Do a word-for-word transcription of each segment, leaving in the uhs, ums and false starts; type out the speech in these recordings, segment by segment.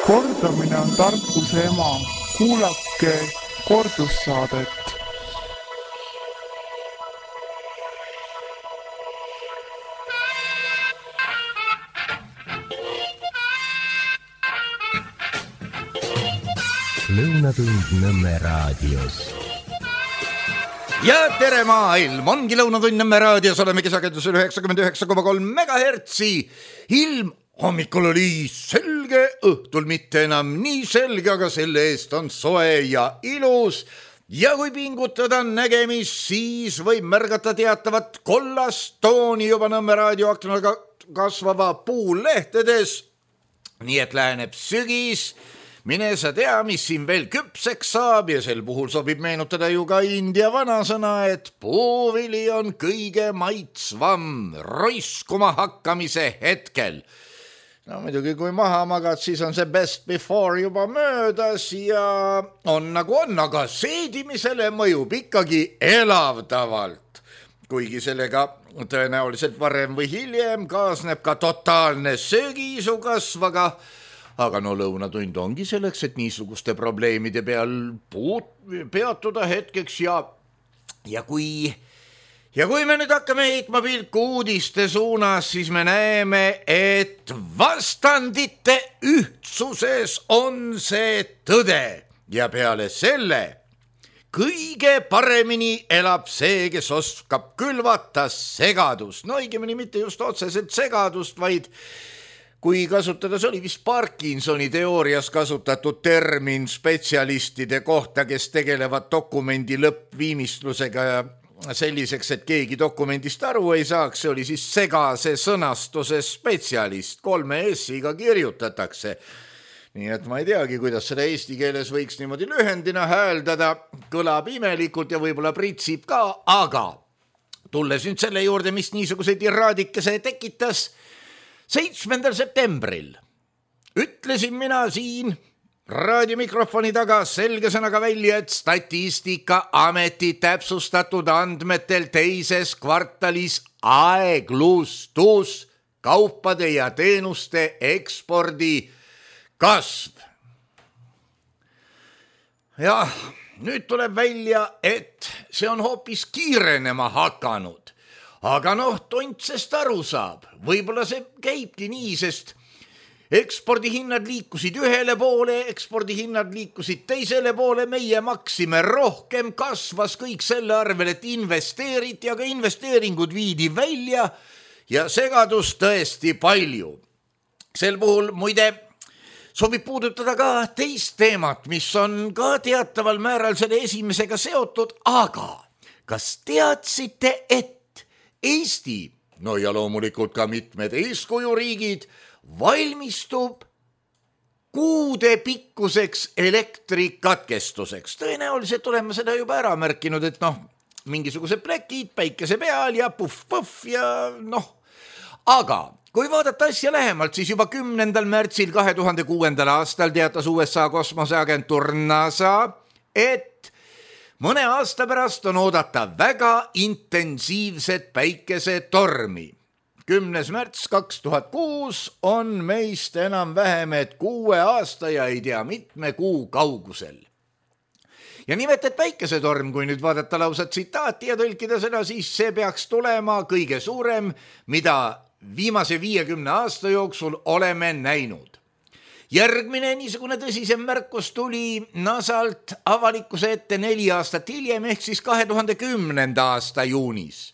Kordamine on tarkuse ema. Kuulake kordussaadet. Lõunatund Nõmme raadios. Ja tere maailm, ongi Lõunatund Nõmme raadios, oleme kesakendusel üheksakümmend üheksa koma kolm megahertsi. Ilm hommikul oli selge, õhtul mitte enam nii selge, aga selle eest on soe ja ilus. Ja kui pingutada nägemist, siis võib märgata teatavat kollast tooni juba Nõmme raadioaknaga kasvava puulehtedes. Nii et läheneb sügis. Mine sa tea, mis siin veel küpseks saab ja sel puhul sobib meenutada ju ka India vanasõna, et puuvili on kõige maitsvam roiskuma hakkamise hetkel. No muidugi, kui maha magad, siis on see best before juba möödas ja on nagu on, aga seedimisele mõjub ikkagi elavdavalt. Kuigi sellega tõenäoliselt varem või hiljem kaasneb ka totaalne söögiisu kasv, aga Aga no lõunatund ongi selleks, et niisuguste probleemide peal puut, peatuda hetkeks ja, ja, kui, ja kui me nüüd hakkame heitma pilku uudiste suunas, siis me näeme, et vastandite ühtsuses on see tõde ja peale selle kõige paremini elab see, kes oskab külvata segadust. No õigemini mitte just otseselt segadust, vaid kui kasutada, see oli vist Parkinsoni teoorias kasutatud termin spetsialistide kohta, kes tegelevad dokumendi lõppviimistlusega ja selliseks, et keegi dokumendist aru ei saaks, see oli siis segase sõnastuse spetsialist, kolme S-iga kirjutatakse. Nii et ma ei teagi, kuidas seda eesti keeles võiks niimoodi lühendina hääldada, kõlab imelikult ja võib-olla pritsib ka, aga tulles nüüd selle juurde, mis niisuguseid iraadikese tekitas, seitsmendal septembril ütlesin mina siin raadiomikrofoni taga selge sõnaga välja, et Statistikaameti täpsustatud andmetel teises kvartalis aeglustus kaupade ja teenuste ekspordi kasv. Jah, nüüd tuleb välja, et see on hoopis kiirenema hakanud. Aga noh, tontsest aru saab. Võib-olla see käibki nii, sest ekspordihinnad liikusid ühele poole, ekspordihinnad liikusid teisele poole, meie maksime rohkem, kasvas kõik selle arvel, et investeeriti, aga investeeringud viidi välja ja segadus tõesti palju. Sel puhul muide sobib puudutada ka teist teemat, mis on ka teataval määral selle esimesega seotud, aga kas teadsite, et Eesti, no ja loomulikult ka mitmed eeskujuriigid, valmistub kuude pikkuseks elektrikatkestuseks. Tõenäoliselt oleme seda juba ära märkinud, et noh, mingisugused plekid päikese peal ja puff-puff ja noh. Aga kui vaadata asja lähemalt, siis juba kümnendal märtsil kahe tuhande kuuendal aastal teatas U S A kosmoseagentuur NASA, et mõne aasta pärast on oodata väga intensiivset päikesetormi. kümnes märts kaks tuhat kuus on meist enam vähem, et kuue aasta ja ei tea mitme kuu kaugusel. Ja nimelt, et päikesetorm, kui nüüd vaadata lausa tsitaati ja tõlkida seda, siis see peaks tulema kõige suurem, mida viimase viiekümne aasta jooksul oleme näinud. Järgmine niisugune tõsisem märkus tuli NASAlt avalikkuse ette neli aastat hiljem, ehk siis kahe tuhande kümnenda aasta juunis.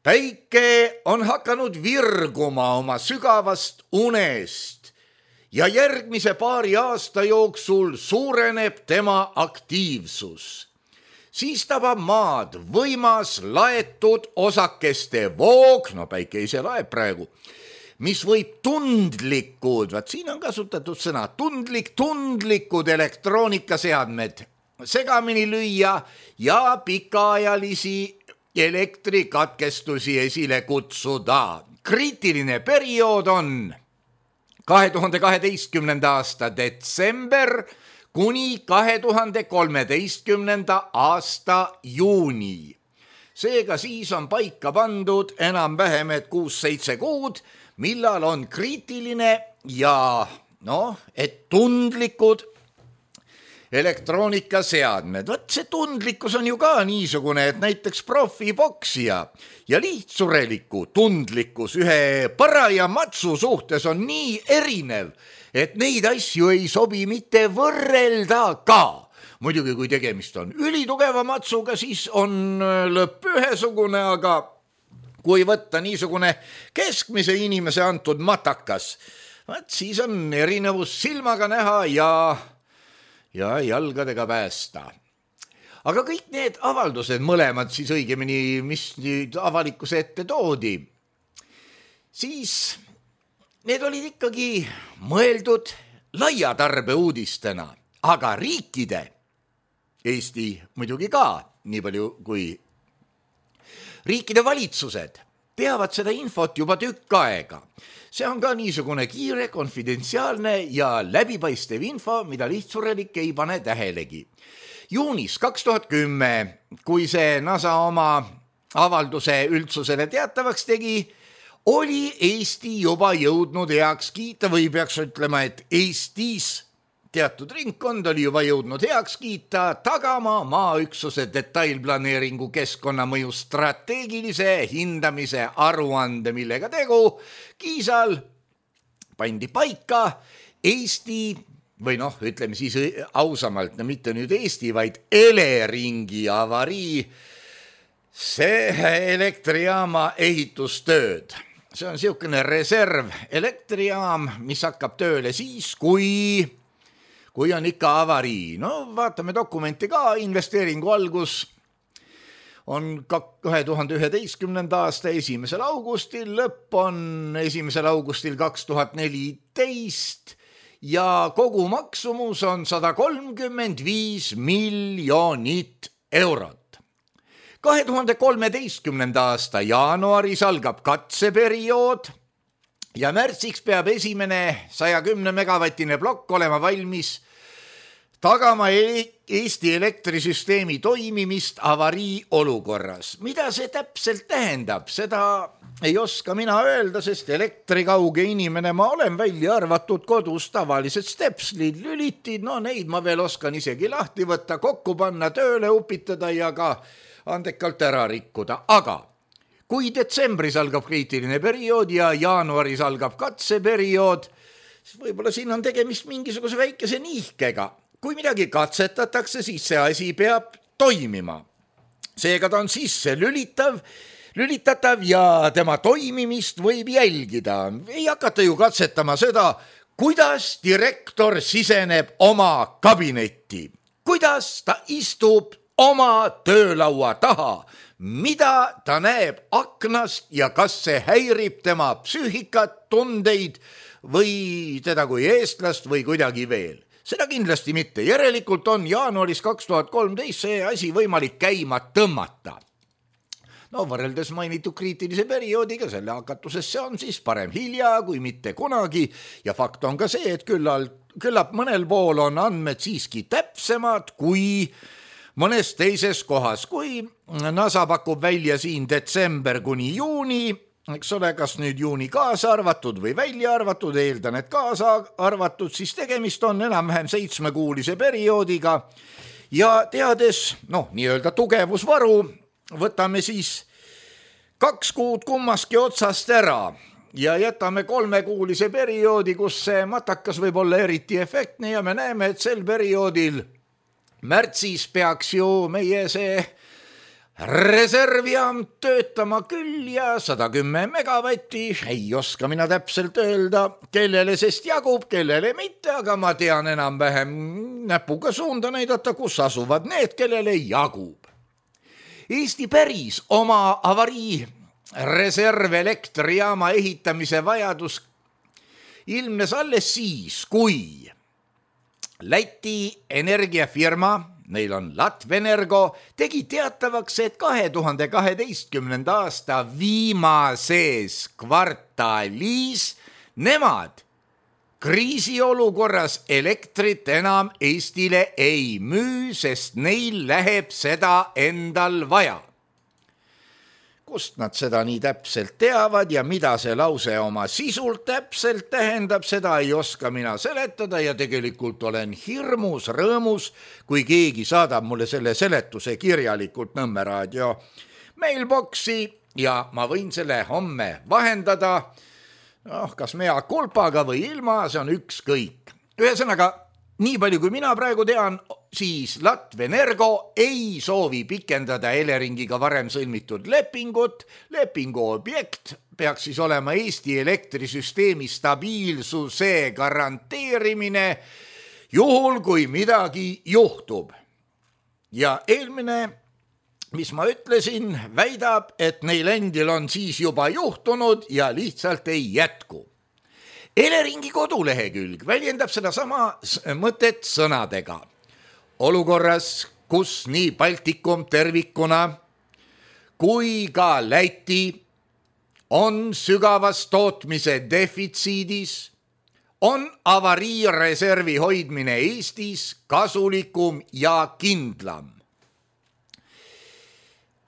Päike on hakanud virguma oma sügavast unest ja järgmise paari aasta jooksul suureneb tema aktiivsus. Siis tabab maad võimas laetud osakeste voog, no päike ise laeb praegu, mis võib tundlikud, vaat siin on kasutatud sõna, tundlik, tundlikud elektroonikaseadmed segamini lüüa ja pikaajalisi elektrikatkestusi esile kutsuda. Kriitiline periood on kahe tuhande kaheteistkümnenda aasta detsember kuni kahe tuhande kolmeteistkümnenda aasta juuni. Seega siis on paika pandud enam vähem, et kuus seitse kuud, millal on kriitiline ja noh, et tundlikud elektroonikaseadmed. Võt see tundlikkus on ju ka niisugune, et näiteks profiboksija ja lihtsureliku tundlikkus ühe paraja matsu suhtes on nii erinev, et neid asju ei sobi mitte võrrelda ka. Muidugi, kui tegemist on ülitugeva matsuga, siis on lõpp ühesugune, aga kui võtta niisugune keskmise inimese antud matakas, võt siis on erinevus silmaga näha ja, ja jalgadega päästa. Aga kõik need avaldused, mõlemad siis õigemini, mis nüüd avalikkuse ette toodi, siis need olid ikkagi mõeldud laia tarbe uudistena, aga riikide, Eesti muidugi ka, nii palju kui riikide valitsused teavad seda infot juba tükk aega. See on ka niisugune kiire, konfidentsiaalne ja läbipaistev info, mida lihtsurelik ei pane tähelegi. Juunis kaks tuhat kümme, kui see NASA oma avalduse üldsusele teatavaks tegi, oli Eesti juba jõudnud heaks kiita või peaks ütlema, et Eestis teatud ringkond oli juba jõudnud heaks kiita tagama maaüksuse detailplaneeringu keskkonnamõju strateegilise hindamise aruande, millega tegu Kiisal pandi paika Eesti või noh, ütleme siis ausamalt, no mitte nüüd Eesti, vaid Eleringi avarii, see elektrijaama ehitustööd. See on niisugune reserv elektrijaam, mis hakkab tööle siis, kui kui on ikka avarii. No vaatame dokumenti ka, investeeringu algus on kahe tuhande üheteistkümnenda aasta esimesel augustil, lõpp on esimesel augustil kaks tuhat neliteist ja kogu maksumus on sada kolmkümmend viis miljonit eurot. kahe tuhande kolmeteistkümnenda aasta jaanuaris algab katseperiood ja märtsiks peab esimene saja kümne megavatine plokk olema valmis tagama Eesti elektrisüsteemi toimimist avarii olukorras. Mida see täpselt tähendab? Seda ei oska mina öelda, sest elektrikauge inimene ma olen, välja arvatud kodus tavalised stepslid, lülitid, no neid ma veel oskan isegi lahti võtta, kokku panna, tööle upitada ja ka andekalt ära rikkuda. Aga kui detsembris algab kriitiline periood ja jaanuaris algab katseperiood, siis võib-olla siin on tegemist mingisuguse väikese niihkega. Kui midagi katsetatakse, siis see asi peab toimima. Seega ta on sisse lülitav, lülitatav ja tema toimimist võib jälgida. Ei hakata ju katsetama seda, kuidas direktor siseneb oma kabinetti, kuidas ta istub oma töölaua taha, mida ta näeb aknast ja kas see häirib tema psüühikat, tundeid või teda kui eestlast või kuidagi veel. Seda kindlasti mitte. Järelikult on jaanuaris kaks tuhat kolmteist see asi võimalik käima tõmmata. No võrreldes mainitud kriitilise perioodiga selle hakatusesse on siis parem hilja kui mitte kunagi ja fakt on ka see, et küllalt, küllap mõnel pool on andmed siiski täpsemad kui mõnes teises kohas. Kui NASA pakub välja siin detsember kuni juuni, eks ole, kas nüüd juuni kaasa arvatud või välja arvatud, eeldan, et kaasa arvatud, siis tegemist on enam-vähem seitsmekuulise perioodiga ja teades, noh, nii-öelda tugevusvaru, võtame siis kaks kuud kummaski otsast ära ja jätame kolmekuulise perioodi, kus see matakas võib olla eriti efektne ja me näeme, et sel perioodil märtsis peaks ju meie see reservjaam töötama küll ja sada kümme megavatti, ei oska mina täpselt öelda, kellele sest jagub, kellele mitte, aga ma tean enam-vähem näpuga suunda näidata, kus asuvad need, kellele jagub. Eesti päris oma avarii reservelektrijaama ehitamise vajadus ilmnes alles siis, kui Läti energiafirma, neil on Latvenergo, tegi teatavaks, et kahe tuhande kaheteistkümnenda aasta viimases kvartalis nemad kriisiolukorras elektrit enam Eestile ei müü, sest neil läheb seda endal vaja. kust nad seda nii täpselt teavad ja mida see lause oma sisult täpselt tähendab, seda ei oska mina seletada ja tegelikult olen hirmus rõõmus, kui keegi saadab mulle selle seletuse kirjalikult Nõmme raadio mailboxi ja ma võin selle homme vahendada, noh, kas mea kulpaga või ilma, see on ükskõik. Ühesõnaga, nii palju kui mina praegu tean, siis Latvenergo ei soovi pikendada Eleringiga varem sõlmitud lepingut. Lepingu objekt peaks siis olema Eesti elektrisüsteemi stabiilsuse garanteerimine juhul, kui midagi juhtub. Ja eelmine, mis ma ütlesin, väidab, et neil endil on siis juba juhtunud ja lihtsalt ei jätku. Eleringi kodulehekülg väljendab seda sama mõtet sõnadega. Olukorras, kus nii Baltikum tervikuna kui ka Läti on sügavas tootmise defitsiidis, on avariireservi hoidmine Eestis kasulikum ja kindlam.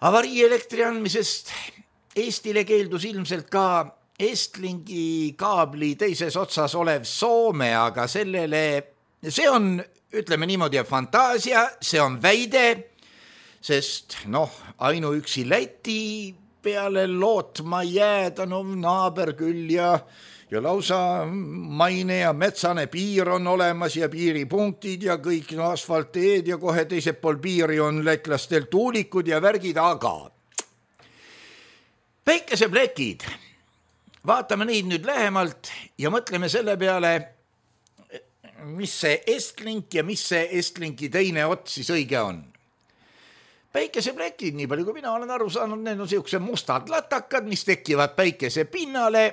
Avarii elektri andmisest Eestile keeldus ilmselt ka Estlingi kaabli teises otsas olev Soome, aga sellele, see on, ütleme niimoodi, fantaasia, see on väide, sest noh, ainuüksi Läti peale lootma jääda, no naaber küll ja, ja lausa maine ja metsane piir on olemas ja piiripunktid ja kõik no, asfalteed ja kohe teisel pool piiri on lätlastel tuulikud ja värgid, aga päikeseplekid, vaatame neid nüüd lähemalt ja mõtleme selle peale, mis see Estlink ja mis see Estlinki teine ots siis õige on. Päikeseplekid, nii palju kui mina olen aru saanud, need on siukse mustad latakad, mis tekivad päikese pinnale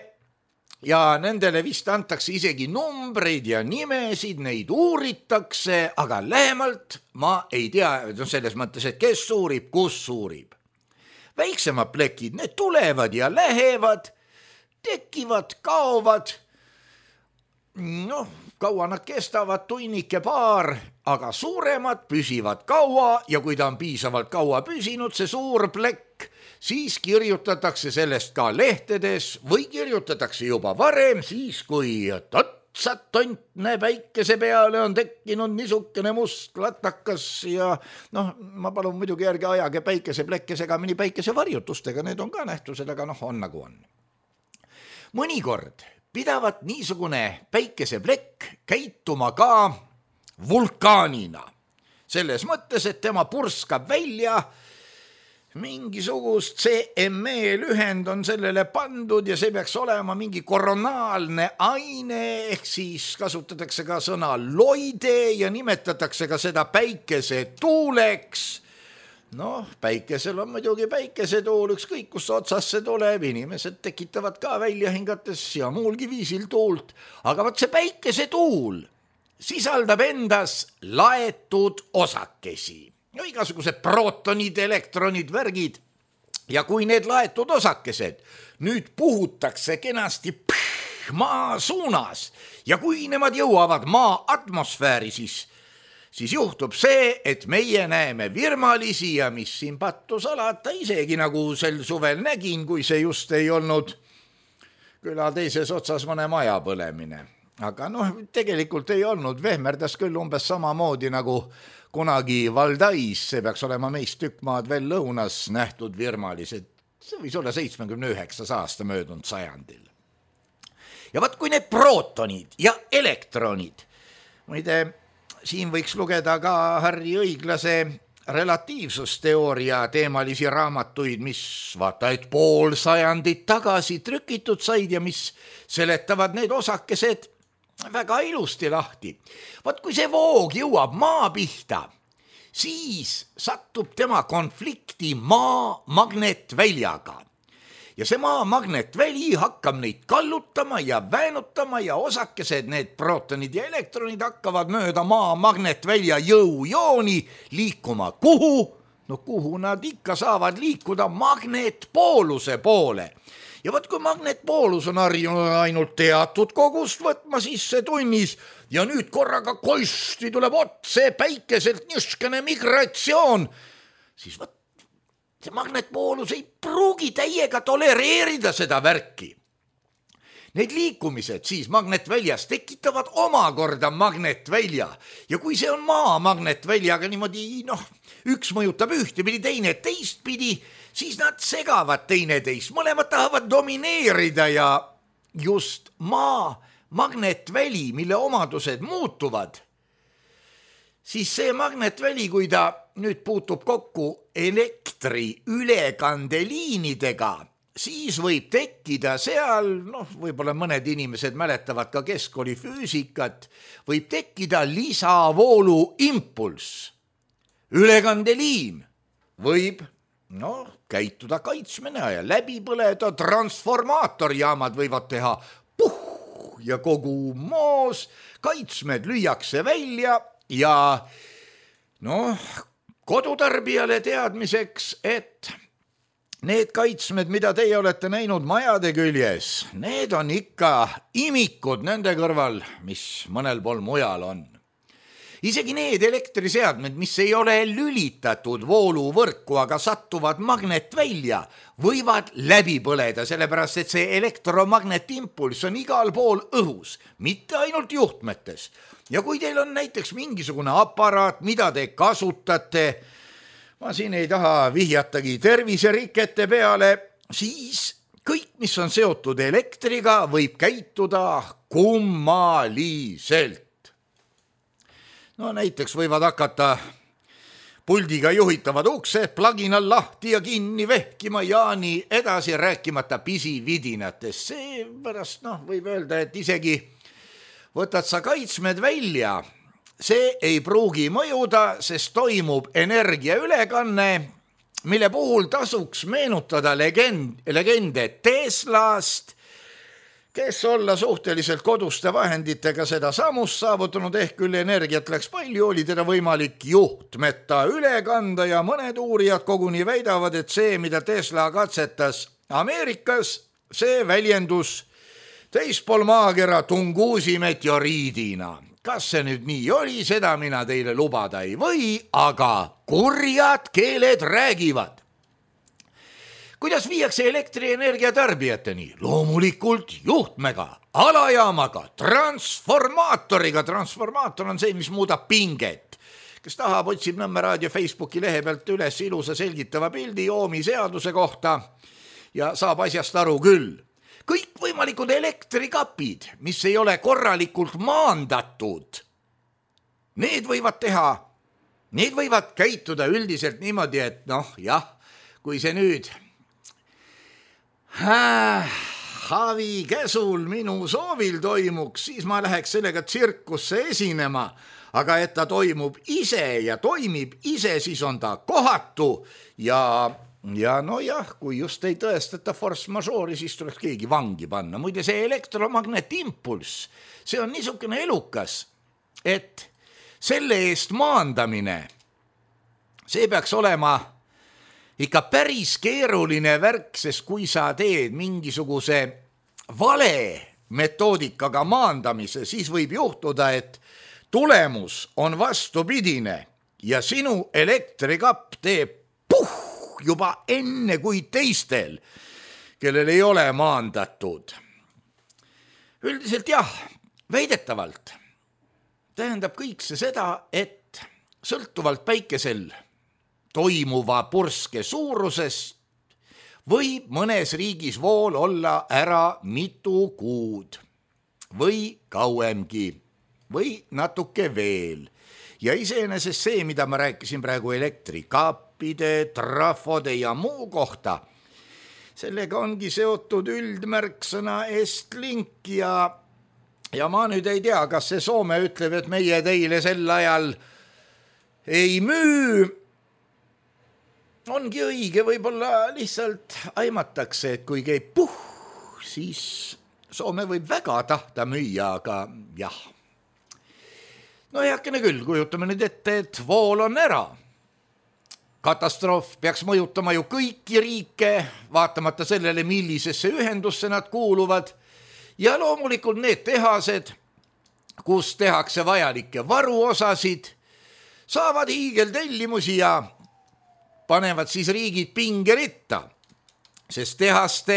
ja nendele vist antakse isegi numbreid ja nimesid, neid uuritakse, aga lähemalt ma ei tea, selles mõttes, et kes uurib, kus uurib. Väiksemad plekid, need tulevad ja lähevad, tekivad, kaovad, noh, kaua nad kestavad, tunnike paar, aga suuremad püsivad kaua ja kui ta on piisavalt kaua püsinud, see suur plekk, siis kirjutatakse sellest ka lehtedes või kirjutatakse juba varem, siis kui otsad tontne päikese peale on tekkinud niisugune must latakas ja noh, ma palun muidugi järgi ajage päikeseplekke segamini päikesevarjutustega, need on ka nähtused, aga noh, on nagu on. Mõnikord pidavat niisugune päikeseplekk käituma ka vulkaanina. Selles mõttes, et tema purskab välja, mingisugust C M E lühend on sellele pandud ja see peaks olema mingi koronaalne aine, ehk siis kasutatakse ka sõna loide ja nimetatakse ka seda päikesetuuleks. Noh, päikesel on muidugi päikesetuul, ükskõik kus otsas see tuleb, inimesed tekitavad ka välja hingates ja muulgi viisil tuult, aga vaat see päikesetuul sisaldab endas laetud osakesi, no igasugused protonid, elektronid, värgid ja kui need laetud osakesed nüüd puhutakse kenasti pff, maa suunas ja kui nemad jõuavad maa atmosfääri, siis siis juhtub see, et meie näeme virmalisi ja mis siin pattu salata, isegi nagu sel suvel nägin, kui see just ei olnud küla teises otsas mõne maja põlemine. Aga noh, tegelikult ei olnud, vehmerdas küll umbes samamoodi nagu kunagi Valdais, see peaks olema meist tükk maad veel lõunas nähtud virmalised, see võis olla seitsmekümne üheksas aasta möödunud sajandil. Ja vaat kui need protonid ja elektronid, muide, siin võiks lugeda ka Harri Õiglase relatiivsusteooria teemalisi raamatuid, mis vaata, et pool sajandit tagasi trükitud said ja mis seletavad need osakesed väga ilusti lahti. Vaat kui see voog jõuab maa pihta, siis satub tema konflikti maa magnetväljaga. Ja see maa magnetväli hakkab neid kallutama ja väänutama ja osakesed, need protonid ja elektronid hakkavad mööda maa magnetvälja jõujooni liikuma kuhu? No kuhu nad ikka saavad liikuda magnetpooluse poole. Ja võt kui magnetpoolus on harjunud ainult teatud kogust võtma sisse tunnis ja nüüd korraga koisti tuleb otse päikeselt niiskene migratsioon, siis võt see magnetpoolus ei pruugi täiega tolereerida seda värki. Need liikumised siis magnetväljas tekitavad omakorda magnetvälja ja kui see on maa magnetväljaga niimoodi, noh, üks mõjutab ühtepidi, teine teistpidi, siis nad segavad teineteist, mõlemad tahavad domineerida ja just maa magnetväli, mille omadused muutuvad, siis see magnetväli, kui ta nüüd puutub kokku elektri ülekandeliinidega, siis võib tekkida seal, noh, võib-olla mõned inimesed mäletavad ka keskkooli füüsikat, võib tekkida lisavoolu impulss. Ülekandeliin võib, noh, käituda kaitsmena ja läbi põleda, transformaatorjaamad võivad teha puh ja kogu moos, kaitsmed lüüakse välja ja noh, kodutarbijale teadmiseks, et need kaitsmed, mida teie olete näinud majade küljes, need on ikka imikud nende kõrval, mis mõnel pool mujal on. Isegi need elektriseadmed, mis ei ole lülitatud vooluvõrku, aga sattuvad magnetvälja, võivad läbi põleda, sellepärast et see elektromagnetimpulss on igal pool õhus, mitte ainult juhtmetes. Ja kui teil on näiteks mingisugune aparaat, mida te kasutate, ma siin ei taha vihjatagi terviserikete peale, siis kõik, mis on seotud elektriga, võib käituda kummaliselt. No näiteks võivad hakata puldiga juhitavad uksed plaginal lahti ja kinni vehkima ja nii edasi rääkimata pisividinatest. Seepärast noh, võib öelda, et isegi võtad sa kaitsmed välja, see ei pruugi mõjuda, sest toimub energiaülekanne, mille puhul tasuks meenutada legend, legende Teslast, kes olla suhteliselt koduste vahenditega seda samust saavutanud, ehk küll energiat läks palju, oli teda võimalik juhtmeta üle kanda ja mõned uurijad koguni väidavad, et see, mida Tesla katsetas Ameerikas, see väljendus teispool maakera Tungusi meteoriidina. Kas see nüüd nii oli, seda mina teile lubada ei või, aga kurjad keeled räägivad. Kuidas viiakse elektrienergia tarbijateni? Loomulikult juhtmega, alajaamaga, transformaatoriga. Transformaator on see, mis muudab pinget. Kes tahab, otsib Nõmme Raadio Facebooki lehe pealt üles ilusa selgitava pildi Ohmi seaduse kohta ja saab asjast aru küll. Kõik võimalikud elektrikapid, mis ei ole korralikult maandatud, need võivad teha, need võivad käituda üldiselt niimoodi, et noh, jah, kui see nüüd Havi käsul minu soovil toimuks, siis ma läheks sellega tsirkusse esinema, aga et ta toimub ise ja toimib ise, siis on ta kohatu ja, ja no jah, kui just ei tõestata force majeure'i, siis tuleks keegi vangi panna. Muide, see elektromagnetimpulss, see on niisugune elukas, et selle eest maandamine, see peaks olema ikka päris keeruline värk, sest kui sa teed mingisuguse vale metoodikaga maandamise, siis võib juhtuda, et tulemus on vastupidine ja sinu elektrikapp teeb puh juba enne kui teistel, kellel ei ole maandatud. Üldiselt jah, väidetavalt tähendab kõik see seda, et sõltuvalt päikesel toimuva purske suurusest võib mõnes riigis vool olla ära mitu kuud või kauemgi või natuke veel. Ja iseenesest see, mida ma rääkisin praegu elektrikappide, trafode ja muu kohta, sellega ongi seotud üldmärksõna Estlink ja, ja ma nüüd ei tea, kas see Soome ütleb, et meie teile sel ajal ei müü. Ongi õige, võib-olla lihtsalt aimatakse, et kui käib puh, siis Soome võib väga tahta müüa, aga jah. No heakene küll, kujutame nüüd ette, et vool on ära. Katastroof peaks mõjutama ju kõiki riike, vaatamata sellele, millisesse ühendusse nad kuuluvad. Ja loomulikult need tehased, kus tehakse vajalikke varuosasid, saavad hiigeltellimusi ja panevad siis riigid pingeritta, sest tehaste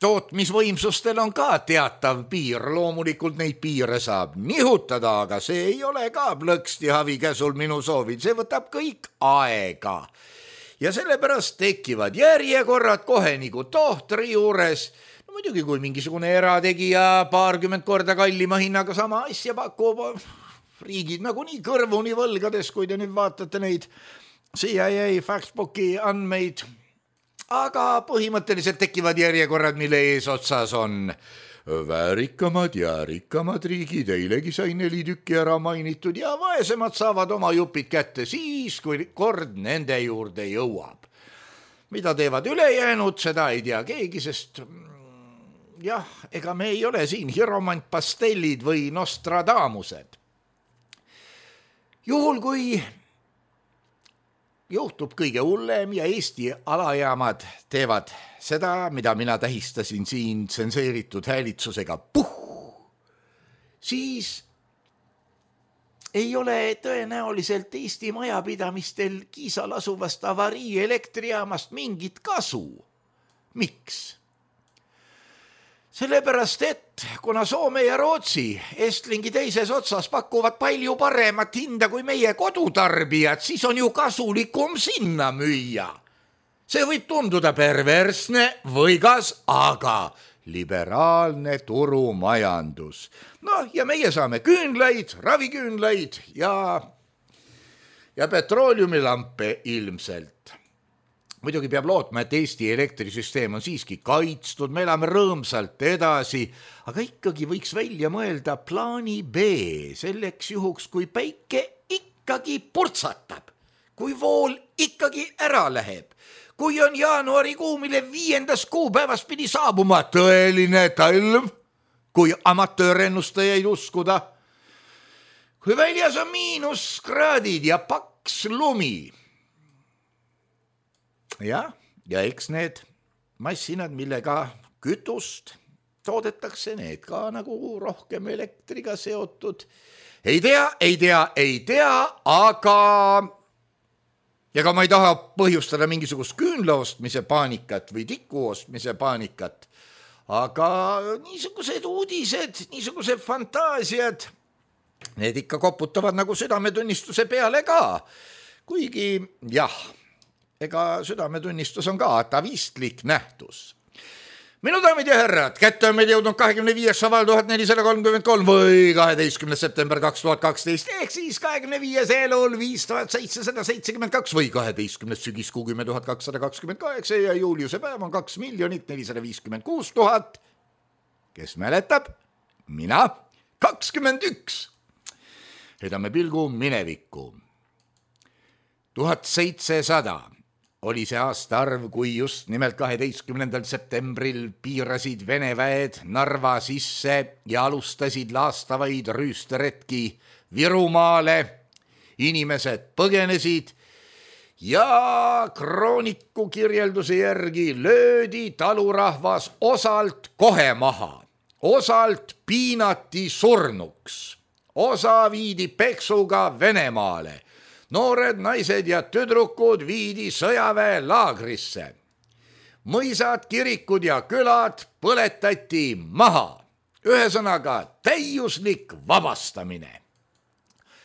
tootmisvõimsustel on ka teatav piir, loomulikult neid piire saab nihutada, aga see ei ole ka plõksti havi käsul minu soovil, see võtab kõik aega. Ja sellepärast tekivad järjekorrad kohe nagu tohtri juures, no muidugi kui mingisugune erategija paarkümmend korda kallima hinnaga sama asja pakub, riigid nagu nii kõrvuni võlgades, kui te nüüd vaatate neid C I A Factbooki andmeid, aga põhimõtteliselt tekivad järjekorrad, mille eesotsas on väärikamad ja rikkamad riigid, eilegi sai neli tükki ära mainitud ja vaesemad saavad oma jupid kätte siis, kui kord nende juurde jõuab. Mida teevad ülejäänud, seda ei tea keegi, sest jah, ega me ei ole siin hiromantpastellid või Nostradamused. Juhul kui juhtub kõige hullem ja Eesti alajaamad teevad seda, mida mina tähistasin siin tsenseeritud häälitsusega puh, siis ei ole tõenäoliselt Eesti majapidamistel Kiisal asuvast avarii elektrijaamast mingit kasu. Miks? Sellepärast, et kuna Soome ja Rootsi Estlingi teises otsas pakuvad palju paremat hinda kui meie kodutarbijad, siis on ju kasulikum sinna müüa. See võib tunduda perversne või kas, aga liberaalne turumajandus. No ja meie saame küünlaid, raviküünlaid ja, ja petrooliumilampe ilmselt. Muidugi peab lootma, et Eesti elektrisüsteem on siiski kaitstud, me elame rõõmsalt edasi, aga ikkagi võiks välja mõelda plaani B selleks juhuks, kui päike ikkagi purtsatab, kui vool ikkagi ära läheb, kui on jaanuarikuu, mille viiendas kuupäevas pidi saabuma tõeline talv, kui amatöörennustajaid uskuda, kui väljas on miinuskraadid ja paks lumi. Ja, ja eks need massinad, millega kütust toodetakse, need ka nagu rohkem elektriga seotud. Ei tea, ei tea, ei tea, aga ja ka ma ei taha põhjustada mingisugust küünla ostmise paanikat või tiku ostmise paanikat, aga niisugused uudised, niisugused fantaasiad, need ikka koputavad nagu südametunnistuse peale ka, kuigi jah, ega südametunnistus on ka atavistlik nähtus. Minu daamid ja härrad, kätte on meil jõudnud kahekümne viies šaval tuhat nelisada kolmkümmend kolm või kaheteistkümnes september kaks tuhat kaksteist, ehk siis kahekümne viies elul viis tuhat seitsesada seitsekümmend kaks või kaheteistkümnes sügiskuu kümme tuhat kakssada kakskümmend kaheksa ja juuliuse päev on kaks miljonit nelisada viiskümmend kuus tuhat. Kes mäletab? Mina kakskümmend üks. Heidame pilgu minevikku. tuhat seitsesada oli see aastaarv, kui just nimelt kaheteistkümnendal septembril piirasid Vene väed Narva sisse ja alustasid laastavaid rüüsteretki Virumaale. Inimesed põgenesid ja krooniku kirjelduse järgi löödi talurahvas osalt kohe maha, osalt piinati surnuks, osa viidi peksuga Venemaale. Noored naised ja tüdrukud viidi sõjaväe laagrisse. Mõisad, kirikud ja külad põletati maha. Ühesõnaga täiuslik vabastamine.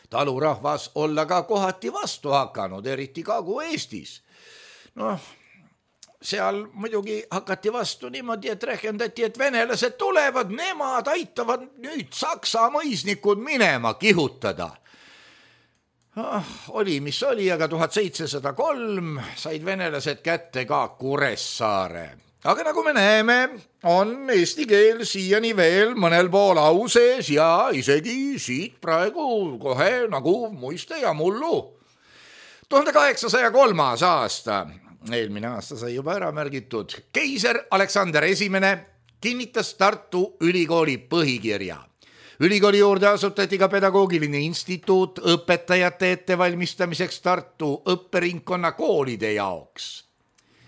Talurahvas olla ka kohati vastu hakanud, eriti Kagu-Eestis. Noh, seal muidugi hakati vastu niimoodi, et rehkendati, et venelased tulevad, nemad aitavad nüüd Saksa mõisnikud minema kihutada. Oh, oli, mis oli, aga tuhat seitsesada kolm said venelased kätte ka Kuressaare. Aga nagu me näeme, on eesti keel siiani veel mõnel pool au sees ja isegi siit praegu kohe nagu muiste ja mullu. tuhande kaheksasaja kolmas aasta, eelmine aasta sai juba ära märgitud, keiser Aleksander Esimene kinnitas Tartu Ülikooli põhikirja. Ülikooli juurde asutati ka pedagoogiline instituut õpetajate ettevalmistamiseks Tartu õpperingkonna koolide jaoks.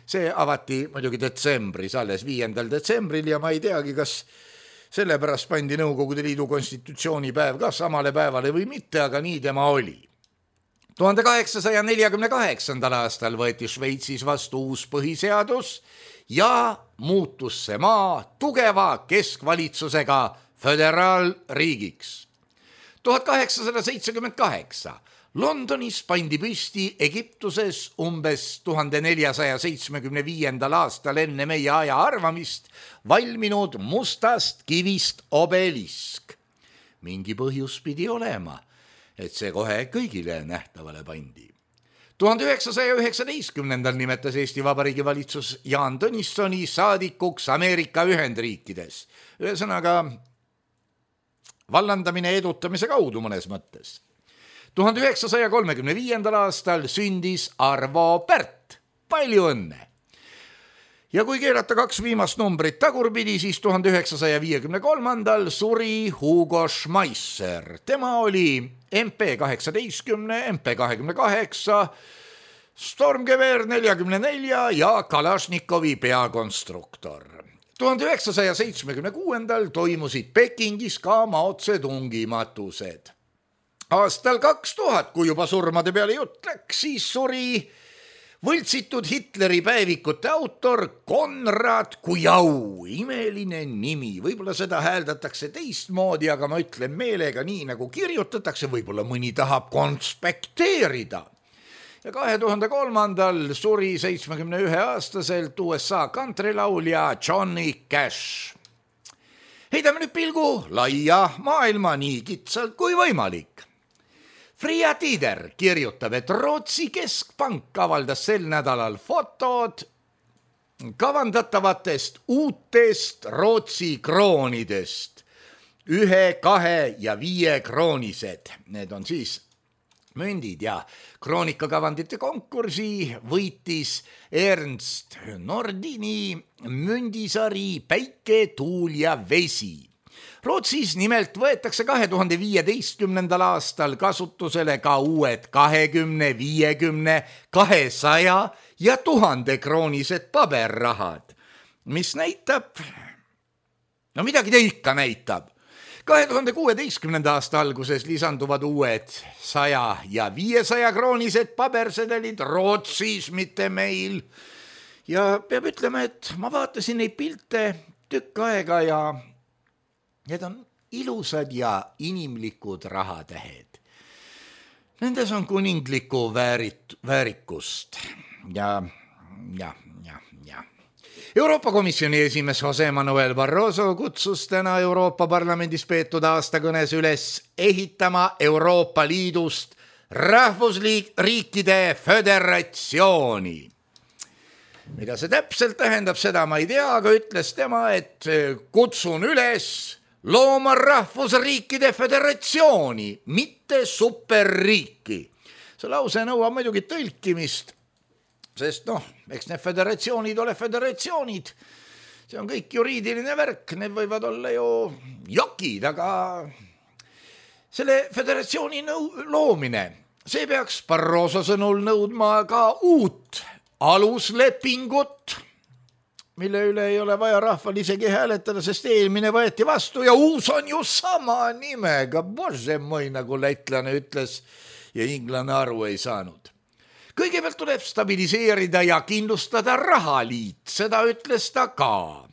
See avati muidugi detsembris, alles viiendal detsembril ja ma ei teagi, kas sellepärast pandi Nõukogude Liidu konstitutsioonipäev ka samale päevale või mitte, aga nii tema oli. tuhande kaheksasaja neljakümne kaheksandal aastal võeti Šveitsis vastu uus põhiseadus ja muutus see maa tugeva keskvalitsusega föderaalriigiks. tuhat kaheksasada seitsekümmend kaheksa Londonis pandi püsti Egiptuses umbes tuhande neljasaja seitsmekümne viiendal aastal enne meie aja arvamist valminud mustast kivist obelisk. Mingi põhjus pidi olema, et see kohe kõigile nähtavale pandi. tuhande üheksasaja üheksateistkümnendal nimetas Eesti Vabariigi valitsus Jaan Tõnissoni saadikuks Ameerika Ühendriikides. Ühesõnaga vallandamine edutamise kaudu mõnes mõttes. tuhande üheksasaja kolmekümne viiendal aastal sündis Arvo Pärt. Palju õnne! Ja kui keerata kaks viimast numbrit tagurpidi, siis tuhande üheksasaja viiekümne kolmandal suri Hugo Schmeisser. Tema oli M P kaheksateistkümne, M P kahekümne kaheksa, Stormgewehr neljakümne nelja ja Kalašnikovi peakonstruktor. tuhande üheksasaja seitsmekümne kuuendal toimusid Pekingis ka Mao Zedongi matused. Aastal kaks tuhat, kui juba surmade peale jutt läks, siis suri võltsitud Hitleri päevikute autor Konrad Kujau. Imeline nimi, võib-olla seda hääldatakse teistmoodi, aga ma ütlen meelega nii, nagu kirjutatakse, võib-olla mõni tahab konspekteerida. Ja kahe tuhande kolmandal suri seitsmekümne ühe aastaselt U S A kantrilaulja Johnny Cash. Heidame nüüd pilgu laia maailma nii kitsalt kui võimalik. Fria Tider kirjutab, et Rootsi keskpank avaldas sel nädalal fotod kavandatavatest uutest Rootsi kroonidest. Ühe, kahe ja viie kroonised. Need on siis mündid ja kroonikakavandite konkursi võitis Ernst Nordini mündisari Päike, tuul ja vesi. Rootsis nimelt võetakse kahe tuhande viieteistkümnendal aastal kasutusele ka uued kahekümne, viiekümne, kahesaja ja tuhande kroonised paberrahad, mis näitab, no midagi ta ikka näitab. kahe tuhande kuueteistkümnenda aasta alguses lisanduvad uued saja ja viiesaja kroonised pabersedelid Rootsis, mitte meil. Ja peab ütlema, et ma vaatasin neid pilte tükk aega ja need on ilusad ja inimlikud rahatähed. Nendes on kuninglikku väärit, väärikust ja, ja, ja, ja. Euroopa Komisjoni esimees Jose Manuel Barroso kutsus täna Euroopa Parlamendis peetud aastakõnes üles ehitama Euroopa Liidust rahvusriikide föderatsiooni. Mida see täpselt tähendab, seda ma ei tea, aga ütles tema, et kutsun üles looma rahvusriikide föderatsiooni, mitte superriiki. See lause nõuab muidugi tõlkimist, sest noh, eks need föderatsioonid ole föderatsioonid. See on kõik juriidiline värk, need võivad olla ju jokid, aga selle föderatsiooni nõu- loomine, see peaks Barroso sõnul nõudma ka uut aluslepingut, mille üle ei ole vaja rahval isegi hääletada, sest eelmine võeti vastu ja uus on ju sama nimega. Bože mõi, nagu lätlane ütles ja inglane aru ei saanud. Kõigepealt tuleb stabiliseerida ja kindlustada rahaliit, seda ütles ta ka.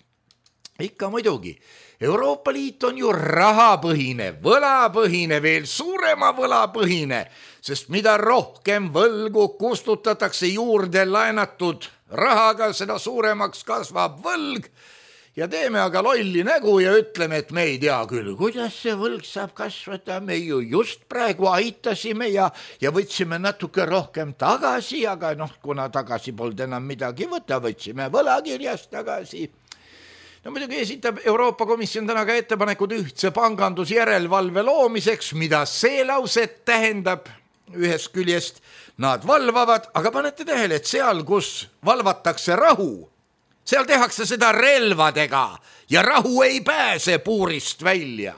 Ikka muidugi, Euroopa Liit on ju rahapõhine, võlapõhine, veel suurema võlapõhine, sest mida rohkem võlgu kustutatakse juurde laenatud rahaga, seda suuremaks kasvab võlg ja teeme aga lolli nägu ja ütleme, et me ei tea küll, kuidas see võlg saab kasvada, me ju just praegu aitasime ja, ja võtsime natuke rohkem tagasi, aga noh, kuna tagasi polnud enam midagi võtta, võtsime võlakirjast tagasi. No muidugi esitab Euroopa Komisjon täna ka ettepanekud ühtse pangandusjärelevalve loomiseks, mida see lauset tähendab ühest küljest. Nad valvavad, aga panete tähele, et seal, kus valvatakse rahu, seal tehakse seda relvadega ja rahu ei pääse puurist välja.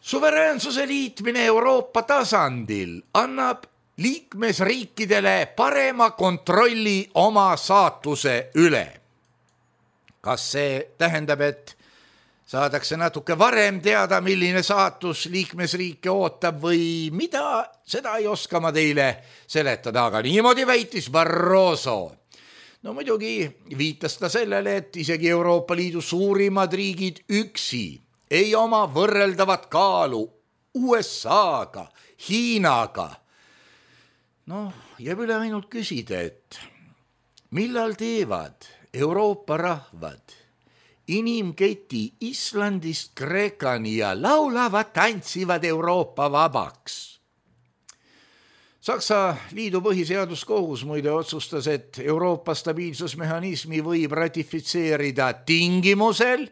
Suveräänsuse liitmine Euroopa tasandil annab liikmesriikidele parema kontrolli oma saatuse üle. Kas see tähendab, et saadakse natuke varem teada, milline saatus liikmesriike ootab või mida, seda ei oska ma teile seletada, aga niimoodi väitis Barroso. No muidugi viitas ta sellele, et isegi Euroopa Liidu suurimad riigid üksi ei oma võrreldavat kaalu U S A-ga, Hiinaga. Noh, jääb üle ainult küsida, et millal teevad Euroopa rahvad inimketi Islandist Kreekani ja laulavad, tantsivad Euroopa vabaks. Saksa liidu põhiseaduskohus muide otsustas, et Euroopa stabiilsusmehhanismi võib ratifitseerida tingimusel,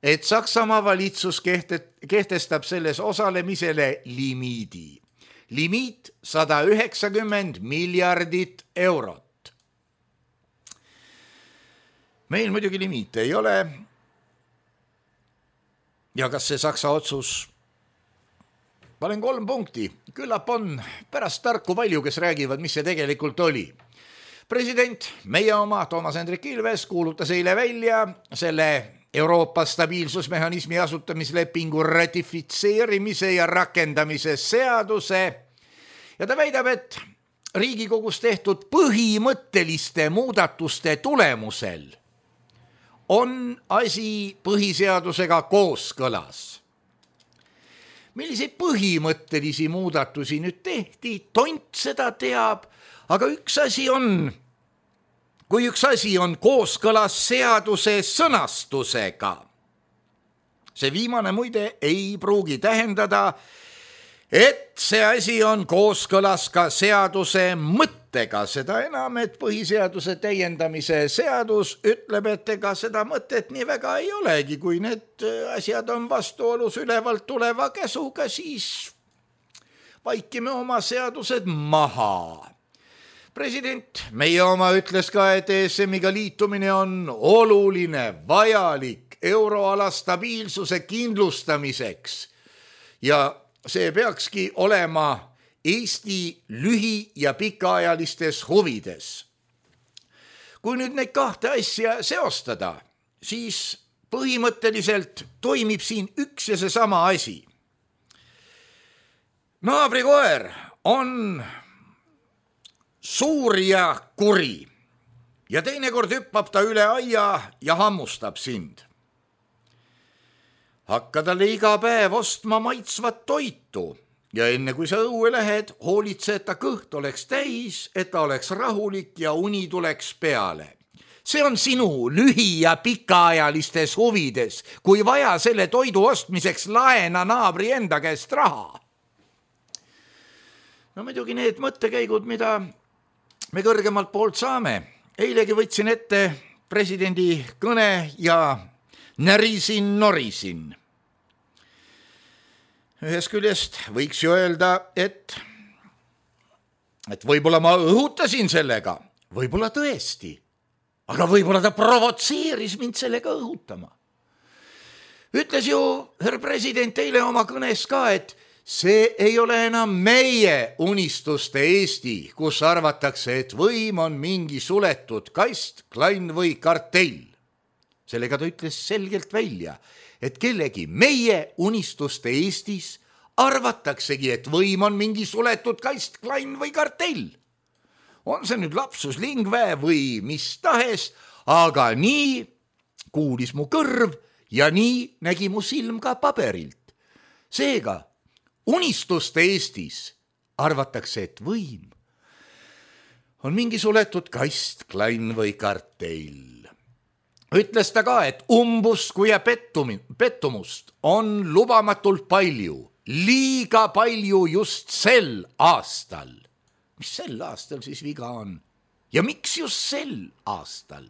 et Saksamaa valitsus kehtestab selles osalemisele limiidi. Limiit sada üheksakümmend miljardit eurot. Meil muidugi limiite ei ole. Ja kas see Saksa otsus? Panen kolm punkti. Küllap on pärast tarku palju, kes räägivad, mis see tegelikult oli. President, meie oma Toomas Hendrik Ilves kuulutas eile välja selle Euroopa stabiilsusmehhanismi asutamislepingu ratifitseerimise ja rakendamise seaduse ja ta väidab, et Riigikogus tehtud põhimõtteliste muudatuste tulemusel on asi põhiseadusega kooskõlas. Milliseid põhimõttelisi muudatusi nüüd tehti, tont seda teab, aga üks asi on, kui üks asi on kooskõlas seaduse sõnastusega. See viimane muide ei pruugi tähendada, et see asi on kooskõlas ka seaduse mõttega, seda enam, et põhiseaduse täiendamise seadus ütleb, et ega seda mõtet nii väga ei olegi, kui need asjad on vastuolus ülevalt tuleva käsuga, siis vaikime oma seadused maha. President, meie oma ütles ka, et E S M-iga liitumine on oluline, vajalik euroala stabiilsuse kindlustamiseks ja see peakski olema Eesti lühi- ja pikaajalistes huvides. Kui nüüd neid kahte asja seostada, siis põhimõtteliselt toimib siin üks ja seesama asi. Naabrikoer on suur ja kuri ja teinekord hüppab ta üle aia ja hammustab sind. Hakka talle iga päev ostma maitsvat toitu ja enne kui sa õue lähed, hoolitse, et ta kõht oleks täis, et ta oleks rahulik ja uni tuleks peale. See on sinu lühi- ja pikaajalistes huvides, kui vaja selle toidu ostmiseks laena naabri enda käest raha. No muidugi need mõttekäigud, mida me kõrgemalt poolt saame. Eilegi võtsin ette presidendi kõne ja närisin, norisin. Ühest küljest võiks ju öelda, et, et võib-olla ma õhutasin sellega, võib-olla tõesti, aga võib-olla ta provotseeris mind sellega õhutama. Ütles ju härra president eile oma kõnes ka, et see ei ole enam meie unistuste Eesti, kus arvatakse, et võim on mingi suletud kast, klann või kartell. Sellega ta ütles selgelt välja, et kellegi meie unistuste Eestis arvataksegi, et võim on mingi suletud kast, klann või kartell. On see nüüd lapsus lingve või mis tahes, aga nii kuulis mu kõrv ja nii nägi mu silm ka paberilt. Seega, unistuste Eestis arvatakse, et võim on mingi suletud kast, klann või kartell. Ütles ta ka, et umbusku ja pettumust on lubamatult palju, liiga palju just sel aastal. Mis sel aastal siis viga on? Ja miks just sel aastal?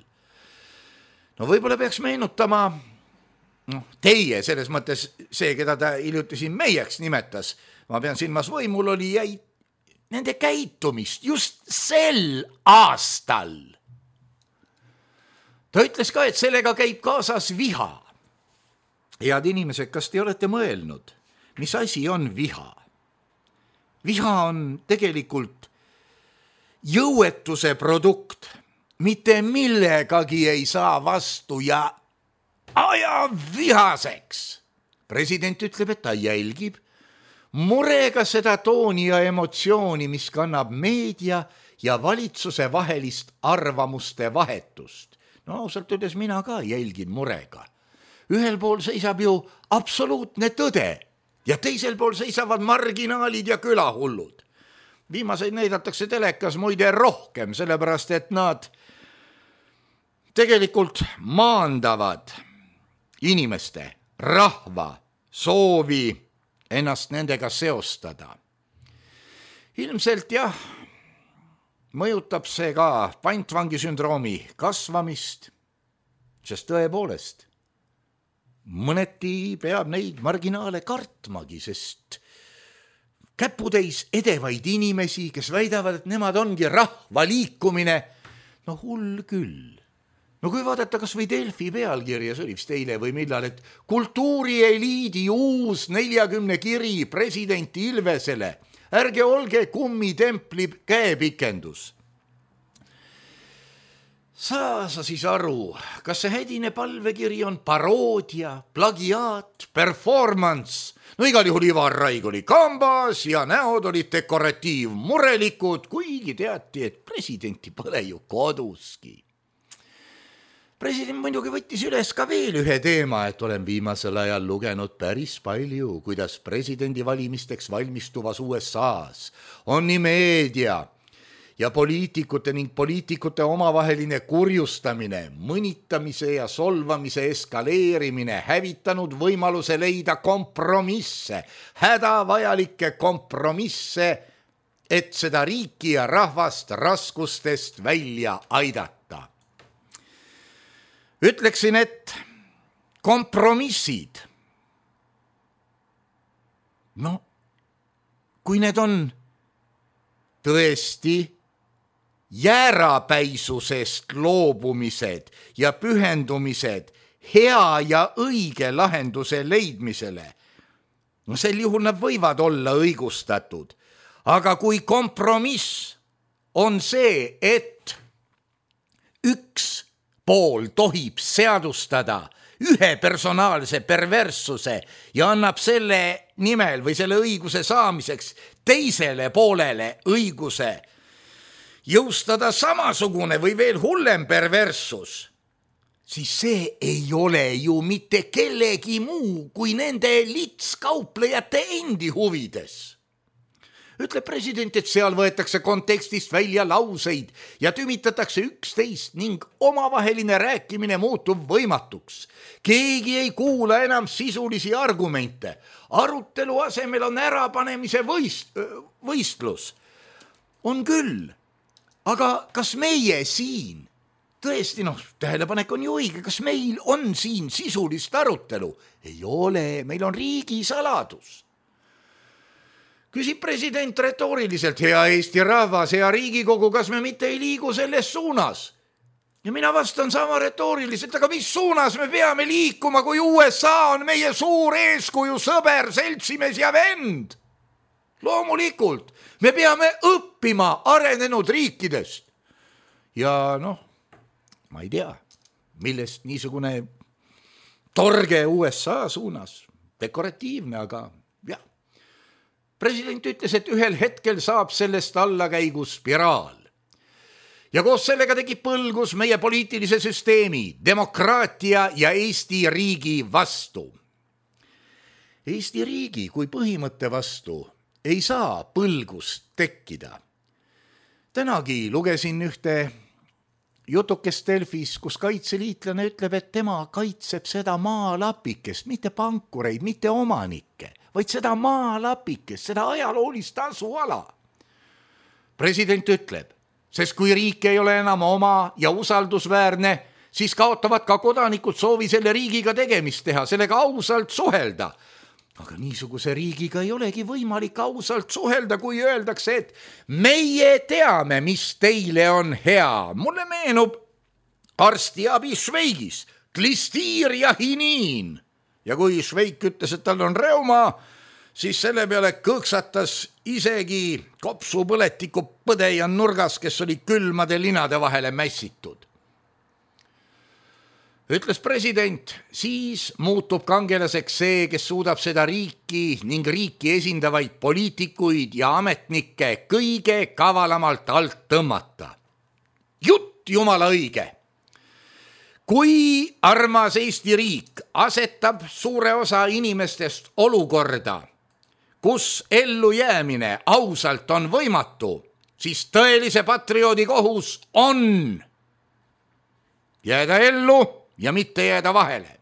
No võib-olla peaks meenutama no, teie, selles mõttes see, keda ta hiljuti siin meieks nimetas, ma pean silmas võimul oli jäi nende käitumist just sel aastal. Ta ütles ka, et sellega käib kaasas viha. Head inimesed, kas te olete mõelnud, mis asi on viha? Viha on tegelikult jõuetuse produkt, mitte millegagi ei saa vastu ja aja vihaseks. President ütleb, et ta jälgib murega seda tooni ja emotsiooni, mis kannab meedia ja valitsuse vahelist arvamuste vahetust. No ausalt öeldes mina ka jälgin murega. Ühel pool seisab ju absoluutne tõde ja teisel pool seisavad marginaalid ja külahullud. Viimaseid näidatakse telekas muide rohkem, sellepärast et nad tegelikult maandavad inimeste, rahva soovi ennast nendega seostada. Ilmselt jah, mõjutab see ka pantvangisündroomi kasvamist, sest tõepoolest mõneti peab neid marginaale kartmagi, sest käputäis edevaid inimesi, kes väidavad, et nemad ongi rahva liikumine, no hull küll. No kui vaadata kas või Delfi pealkirja, see oli vist eile või millal, et kultuurieliidi uus neljakümne kiri presidenti Ilvesele, ärge olge kummitempli käepikendus. Saa sa siis aru, kas see hädine palvekiri on paroodia, plagiaat, performance? No igal juhul Ivar Raig oli kambas ja näod olid dekoratiivmurelikud, kuigi teati, et presidenti pole ju koduski. President muidugi võttis üles ka veel ühe teema, et olen viimasel ajal lugenud päris palju, kuidas presidendi valimisteks valmistuvas U S A-s on nii meedia ja poliitikute ning poliitikute omavaheline kurjustamine, mõnitamise ja solvamise eskaleerimine hävitanud võimaluse leida kompromisse, hädavajalikke kompromisse, et seda riiki ja rahvast raskustest välja aidata. Ütleksin, et kompromissid, no kui need on tõesti jäärapäisusest loobumised ja pühendumised hea ja õige lahenduse leidmisele, no sel juhul nad võivad olla õigustatud. Aga kui kompromiss on see, et üks pool tohib seadustada ühe personaalse perverssuse ja annab selle nimel või selle õiguse saamiseks teisele poolele õiguse jõustada samasugune või veel hullem perverssus, siis see ei ole ju mitte kellegi muu kui nende litskauplejate endi huvides. Ütleb president, et seal võetakse kontekstist välja lauseid ja tümitatakse üksteist ning omavaheline rääkimine muutub võimatuks. Keegi ei kuula enam sisulisi argumente. Arutelu asemel on ärapanemise võist, võistlus. On küll, aga kas meie siin, tõesti noh, tähelepanek on ju õige, kas meil on siin sisulist arutelu? Ei ole, meil on riigi saladus. Küsib president retooriliselt, hea Eesti rahvas, hea Riigikogu, kas me mitte ei liigu selles suunas? Ja mina vastan sama retooriliselt, aga mis suunas me peame liikuma, kui U S A on meie suur eeskuju, sõber, seltsimees ja vend? Loomulikult, me peame õppima arenenud riikidest. Ja noh, ma ei tea, millest niisugune torge U S A suunas, dekoratiivne, aga jah. President ütles, et ühel hetkel saab sellest allakäigu spiraal. Ja koos sellega tegi põlgus meie poliitilise süsteemi, demokraatia ja Eesti riigi vastu. Eesti riigi kui põhimõtte vastu ei saa põlgust tekkida. Tänagi lugesin ühte jutukest Delfis, kus kaitseliitlane ütleb, et tema kaitseb seda maalapikest, mitte pankureid, mitte omanikke, vaid seda maalapikest, seda ajaloolist asuala. President ütleb, sest kui riik ei ole enam oma ja usaldusväärne, siis kaotavad ka kodanikud soovi selle riigiga tegemist teha, sellega ausalt suhelda. Aga niisuguse riigiga ei olegi võimalik ausalt suhelda, kui öeldakse, et meie teame, mis teile on hea. Mulle meenub arstiabi Šveigis, klistiir ja hiniin. Ja kui Šveik ütles, et tal on reuma, siis selle peale kõksatas isegi kopsupõletiku põdejan nurgas, kes oli külmade linade vahele mässitud. Ütles president, siis muutub kangelaseks see, kes suudab seda riiki ning riiki esindavaid poliitikuid ja ametnikke kõige kavalamalt alt tõmmata. Jutt jumala õige. Kui armas Eesti riik asetab suure osa inimestest olukorda, kus ellu jäämine ausalt on võimatu, siis tõelise patrioodi kohus on jääda ellu ja mitte jääda vahele.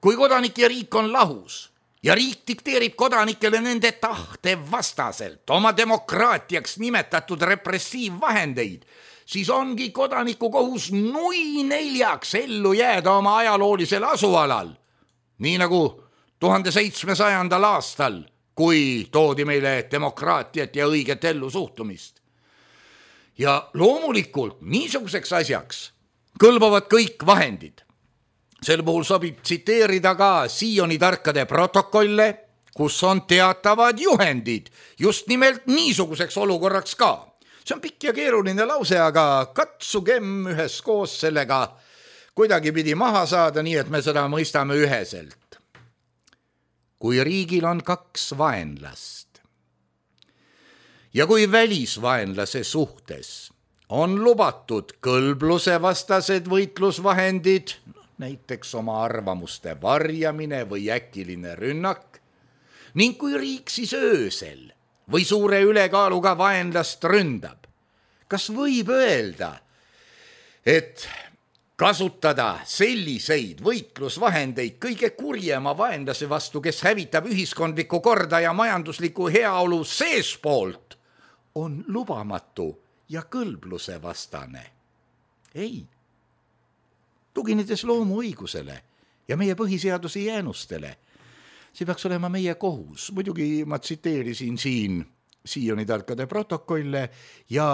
Kui kodanik ja riik on lahus ja riik dikteerib kodanikele nende tahte vastaselt oma demokraatiaks nimetatud repressiivvahendeid, siis ongi kodaniku kohus nui neljaks ellu jääda oma ajaloolisel asualal. Nii nagu tuhande seitsmesajandal aastal, kui toodi meile demokraatiat ja õiget ellu suhtumist. Ja loomulikult niisuguseks asjaks kõlbavad kõik vahendid. Sel puhul sobib tsiteerida ka Sioni tarkade protokolle, kus on teatavad juhendid just nimelt niisuguseks olukorraks ka. See on pikk ja keeruline lause, aga katsugem üheskoos sellega kuidagi pidi maha saada, nii et me seda mõistame üheselt. Kui riigil on kaks vaenlast ja kui välisvaenlase suhtes on lubatud kõlbluse vastased võitlusvahendid, näiteks oma arvamuste varjamine või äkiline rünnak, ning kui riik siis öösel või suure ülekaaluga vaenlast ründab, kas võib öelda, et kasutada selliseid võitlusvahendeid kõige kurjema vaenlase vastu, kes hävitab ühiskondlikku korda ja majanduslikku heaolu seespoolt, on lubamatu ja kõlbluse vastane? Ei. Tuginedes loomu õigusele ja meie põhiseaduse jäänustele, see peaks olema meie kohus. Muidugi ma tsiteerisin siin Sioni tarkade protokolle ja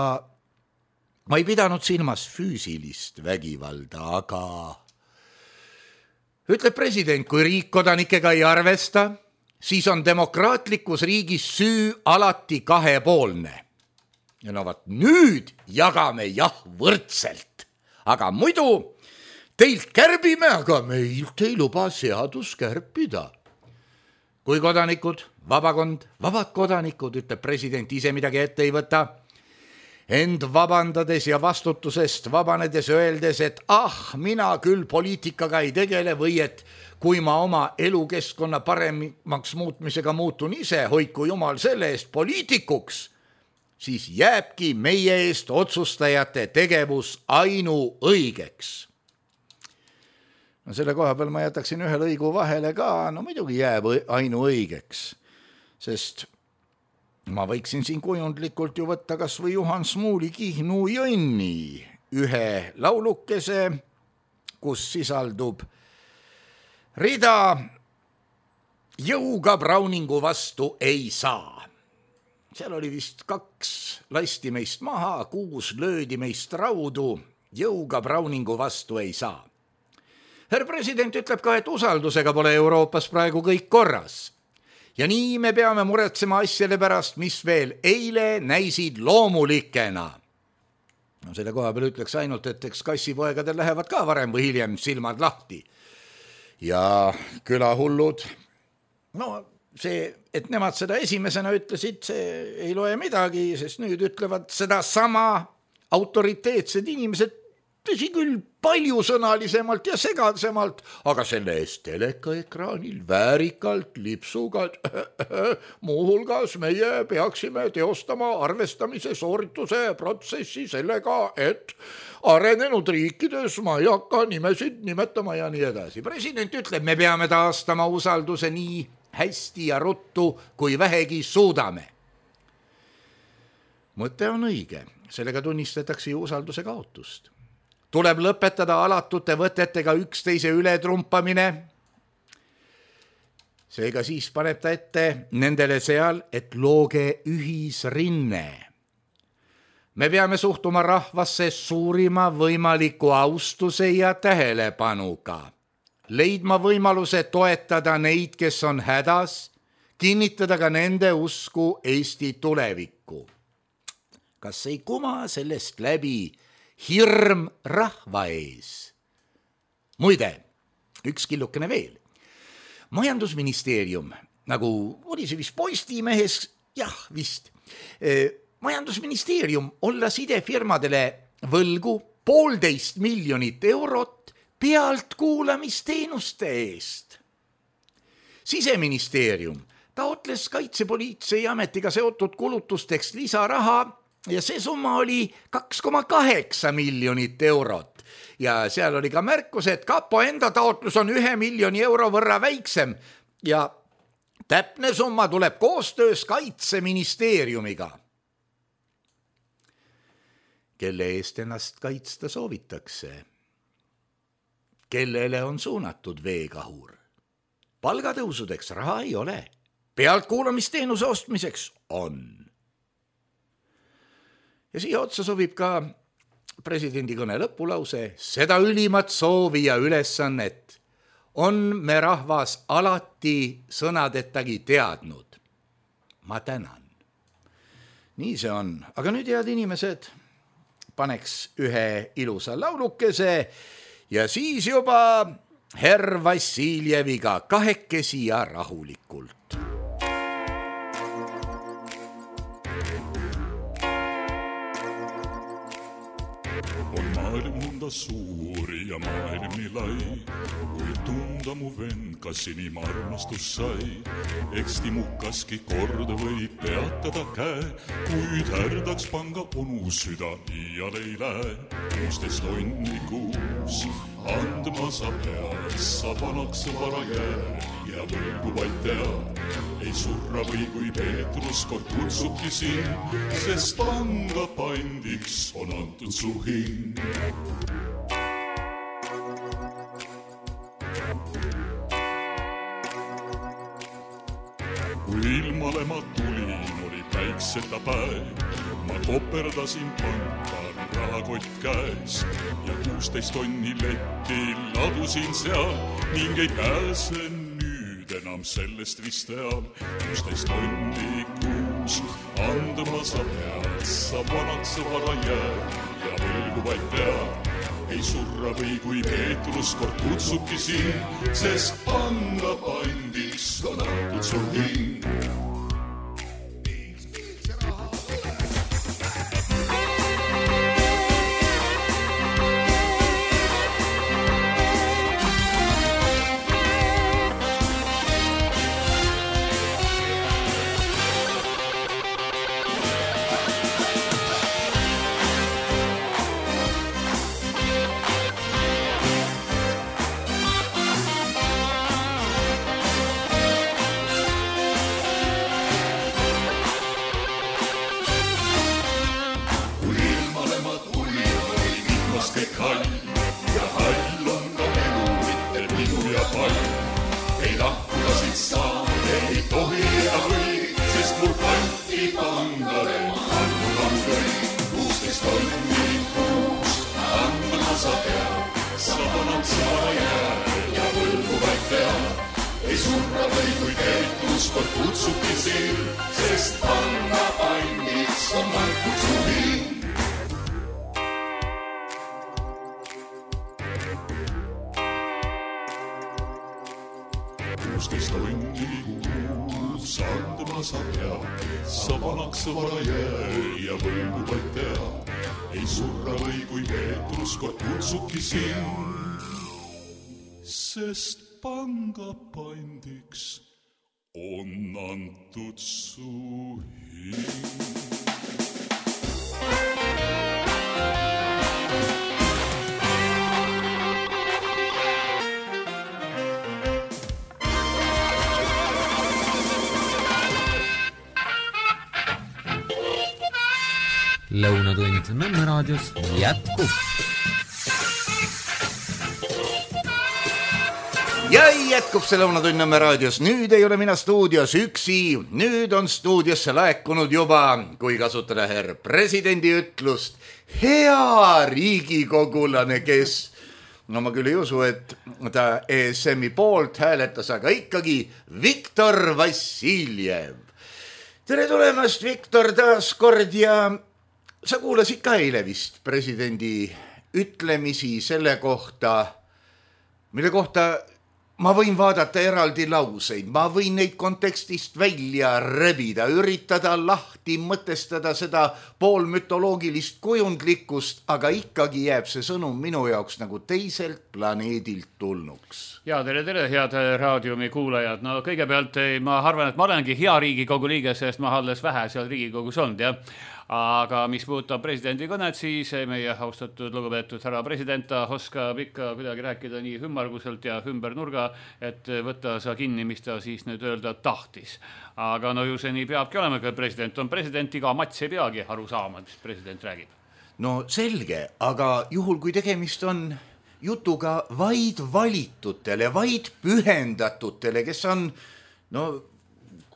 ma ei pidanud silmas füüsilist vägivalda, aga ütleb president, kui riik kodanikega ei arvesta, siis on demokraatlikus riigis süü alati kahepoolne. Ja no vaat nüüd jagame jah võrdselt, aga muidu teilt kärbime, aga meilt ei luba seadus kärpida. Kui kodanikud, vabakond, vabad kodanikud, ütleb president, ise midagi ette ei võta, end vabandades ja vastutusest vabanedes öeldes, et ah, mina küll poliitikaga ei tegele või et kui ma oma elukeskkonna paremaks muutmisega muutun ise, hoiku jumal selle eest poliitikuks, siis jääbki meie eest otsustajate tegevus ainuõigeks. No selle koha peal ma jätaksin ühe lõigu vahele ka, no muidugi jääb ainuõigeks, sest ma võiksin siin kujundlikult ju võtta kas või Juhan Smuuli Kihnu Jõnni ühe laulukese, kus sisaldub rida jõuga Browningu vastu ei saa. Seal oli vist kaks lasti meist maha, kuus löödi meist raudu, jõuga Browningu vastu ei saa. Herr president ütleb ka, et usaldusega pole Euroopas praegu kõik korras. Ja nii me peame muretsema asjale pärast, mis veel eile näisid loomulikena. No selle koha peal ütleks ainult, et eks kassipoegadel lähevad ka varem või hiljem silmad lahti. Ja külahullud, no see, et nemad seda esimesena ütlesid, see ei loe midagi, sest nüüd ütlevad seda sama autoriteetsed inimesed, tõsi küll paljusõnalisemalt ja segasemalt, aga selle eest telekaekraanil väärikalt lipsuga, muuhulgas meie peaksime teostama arvestamise soorituse protsessi sellega, et arenenud riikides ma ei hakka nimesid nimetama ja nii edasi. President ütleb, me peame taastama usalduse nii hästi ja ruttu, kui vähegi suudame. Mõte on õige, sellega tunnistatakse ju usalduse kaotust. Tuleb lõpetada alatute võtetega üksteise ületrumpamine. Seega siis paneb ta ette nendele seal, et looge ühisrinne. Me peame suhtuma rahvasse suurima võimaliku austuse ja tähelepanuga. Leidma võimaluse toetada neid, kes on hädas, kinnitada ka nende usku Eesti tulevikku. Kas ei kuma sellest läbi hirm rahva ees? Muide, üks killukene veel. Majandusministeerium, nagu oli see vist Postimehes, jah vist, majandusministeerium olla sidefirmadele võlgu poolteist miljonit eurot pealtkuulamisteenuste eest. Siseministeerium taotles kaitsepoliitsei ametiga seotud kulutusteks lisaraha ja see summa oli kaks koma kaheksa miljonit eurot. Ja seal oli ka märkus, et kapo enda taotlus on ühe miljoni euro võrra väiksem ja täpne summa tuleb koostöös kaitseministeeriumiga. Kelle eest ennast kaitsta soovitakse? Kellele on suunatud veekahur? Palgatõusudeks raha ei ole. Pealtkuulamisteenuse ostmiseks on. Ja siia otsa sobib ka presidendi kõne lõpulause, seda ülimat soovi ja ülesannet on me rahvas alati sõnadettagi teadnud. Ma tänan. Nii see on. Aga nüüd, head inimesed, paneks ühe ilusa laulukese ja siis juba herr Vassiljeviga kahekesi ja rahulikult. On maailm mõnda suuri ja maailm nii lai, kui tunda mu vend, kas inim armastus sai. Eks timukaski kord või peatada käe, kuid härdaks panga onu süda iial ei lähe. kuusteist tonni kuus andma sa pead, sa vanaks vara jääd ja võlgu vaid tead. Ei surra või kui Peetrus kord kutsubki sind, sest panga pandiks on antud su hing. Kui ilmale ma tulin, oli päikseta päev, ma koperdasin panka rahakott käes ja kuusteist tonni letti ladusin seal ning ei pääse nüüd enam sellest vist teal. kuusteist tonni kuus andma sa pead, sa vanaks vara jääd ja võlgu vaid tead. Ei surra või kui Peetrus kord kutsubki siin, sest panga pandiks on antud su hing. kuusteist tonni kuus andma sa pead, sa vanaks vara jää ja võlgu vaid tea. Ei surra või kui Peetrus kord kutsubki sind, sest panga pandiks on antud su hing. Lõunatund Nõmme raadios jätkub. Ja jätkub see Lõunatund Nõmme raadios. Nüüd ei ole mina stuudios üksi. Nüüd on stuudiosse laekunud juba, kui kasutada herr presidendi ütlust, hea riigikogulane, kes, no ma küll ei usu, et ta E S M-i poolt hääletas, aga ikkagi Viktor Vassiljev. Tere tulemast, Viktor, taas kord ja sa kuulasid ka eile vist presidendi ütlemisi selle kohta, mille kohta ma võin vaadata eraldi lauseid, ma võin neid kontekstist välja rebida, üritada lahti mõtestada seda poolmütoloogilist kujundlikkust, aga ikkagi jääb see sõnum minu jaoks nagu teiselt planeedilt tulnuks. Ja tere, tere, head raadiumi kuulajad. No kõigepealt ma arvan, et ma olengi hea Riigikogu liige, sest ma alles vähe seal Riigikogus olnud, jah. Aga mis puudutab presidendi kõnet, siis meie austatud lugupeetud härra president oskab ikka kuidagi rääkida nii hümmarguselt ja ümber nurga, et võtta sa kinni, mis ta siis nüüd öelda tahtis. Aga no ju see nii peabki olema, kui president on president, iga mats ei peagi aru saama, mis president räägib. No selge, aga juhul kui tegemist on jutuga vaid valitutele, vaid pühendatutele, kes on, no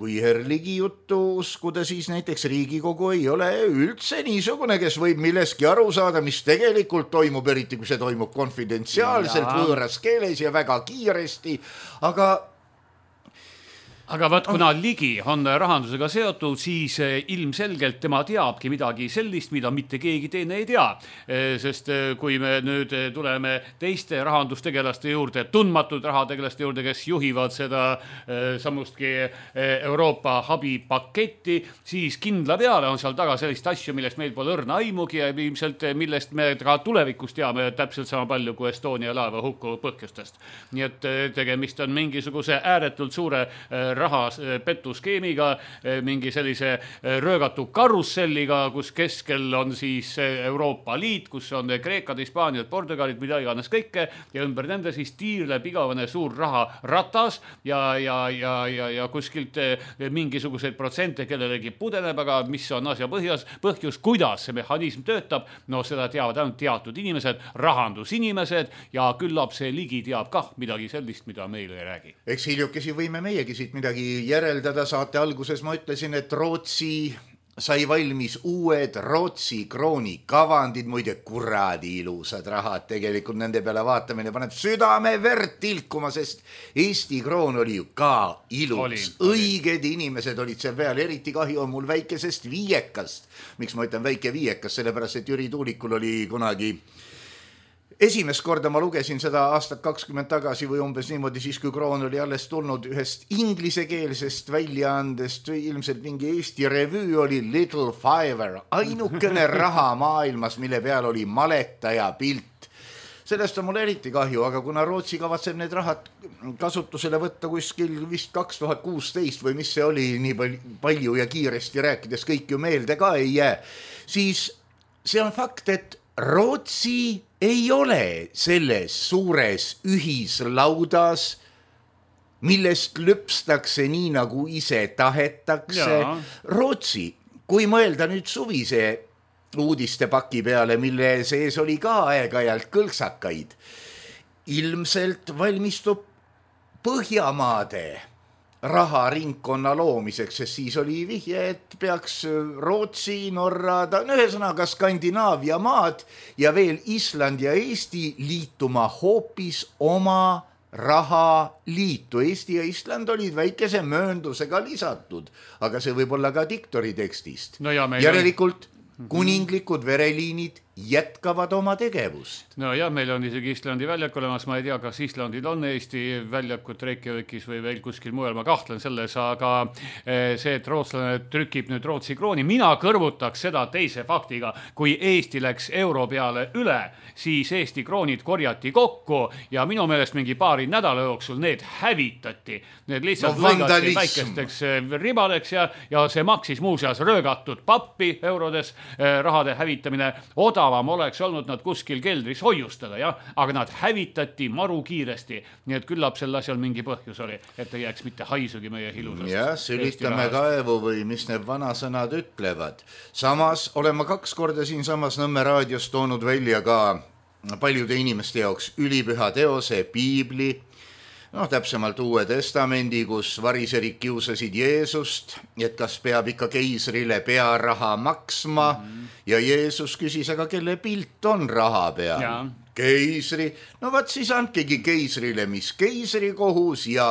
kui Herligi juttu uskuda, siis näiteks Riigikogu ei ole üldse niisugune, kes võib milleski aru saada, mis tegelikult toimub, eriti kui see toimub konfidentsiaalselt, võõras keeles ja väga kiiresti, aga Aga võt, kuna Ligi on rahandusega seotud, siis ilmselgelt tema teabki midagi sellist, mida mitte keegi teine ei tea. Sest kui me nüüd tuleme teiste rahandustegelaste juurde, tundmatud rahategelaste juurde, kes juhivad seda samustki Euroopa abipaketti, siis kindla peale on seal taga sellist asju, millest meil pole õrna aimugi ja ilmselt millest me ka tulevikus teame täpselt sama palju kui Estonia laeva hukku põhjustest. Nii et tegemist on mingisuguse ääretult suure raha petuskeemiga, mingi sellise röögatu karusselliga, kus keskel on siis Euroopa Liit, kus on Kreekad, Hispaaniad, Portugalid, mida iganes kõike ja ümber nende siis tiirleb igavene suur raha ratas ja, ja, ja, ja, ja kuskilt mingisuguseid protsente kellelegi pudeneb, aga mis on asja põhjus, põhjus, kuidas see mehhanism töötab, no seda teavad ainult teatud inimesed, rahandusinimesed ja küllap see Ligi teab kah midagi sellist, mida meil ei räägi. Eks hiljukesi võime meiegi siit midagi järeldada, saate alguses ma ütlesin, et Rootsi sai valmis uued Rootsi krooni kavandid, muide kuradi ilusad rahad, tegelikult nende peale vaatamine paneb südame verd tilkuma, sest Eesti kroon oli ju ka ilus, oli, õiged oli. Inimesed olid seal peal, eriti kahju on mul väikesest viiekast. Miks ma ütlen väike viiekas, sellepärast et Jüri Tuulikul oli kunagi esimest korda ma lugesin seda aastat kakskümmend tagasi või umbes niimoodi, siis kui kroon oli alles tulnud ühest inglisekeelsest väljaandest, ilmselt mingi Eesti revüü oli Little Fiver, ainukene raha maailmas, mille peal oli maletaja pilt. Sellest on mul eriti kahju, aga kuna Rootsi kavatseb need rahad kasutusele võtta kuskil vist kaks tuhat kuusteist või mis see oli, nii palju ja kiiresti rääkides kõik ju meelde ka ei jää, siis see on fakt, et Rootsi ei ole selles suures ühislaudas, millest lüpstakse nii, nagu ise tahetakse. Ja. Rootsi, kui mõelda nüüd suvise uudistepaki peale, mille sees oli ka aeg-ajalt kõlksakaid, ilmselt valmistub Põhjamaade raharingkonna loomiseks, sest siis oli vihje, et peaks Rootsi, Norra, no ühesõnaga Skandinaavia maad ja veel Island ja Eesti liituma hoopis oma rahaliitu. Eesti ja Island olid väikese mööndusega lisatud, aga see võib olla ka diktori tekstist. No ja järelikult kuninglikud vereliinid jätkavad oma tegevust. No ja meil on isegi Islandi väljak olemas, ma ei tea, kas Islandil on Eesti väljakut Reykjavikis või veel kuskil mujal, ma kahtlen selles, aga see, et rootslane trükib nüüd Rootsi krooni, mina kõrvutaks seda teise faktiga, kui Eesti läks euro peale üle, siis Eesti kroonid korjati kokku ja minu meelest mingi paari nädala jooksul need hävitati, need lihtsalt no, lõigati väikesteks ribadeks ja, ja see maksis muuseas röögatud pappi eurodes, rahade hävitamine, odavam oleks olnud nad kuskil keldris hoiustada, jah, aga nad hävitati maru kiiresti, nii et küllap sel asjal mingi põhjus oli, et ei jääks mitte haisugi meie hilusast. Jah, sülitame kaevu või mis need vanasõnad ütlevad. Samas olen ma kaks korda siin samas Nõmme raadios toonud välja ka paljude inimeste jaoks ülipüha teose, piibli, noh, täpsemalt Uue Testamendi, kus variserid kiusasid Jeesust, et kas peab ikka keisrile pearaha maksma mm. ja Jeesus küsis, aga kelle pilt on raha peal? Ja. Keisri. No vaat siis andkegi keisrile, mis keisri kohus ja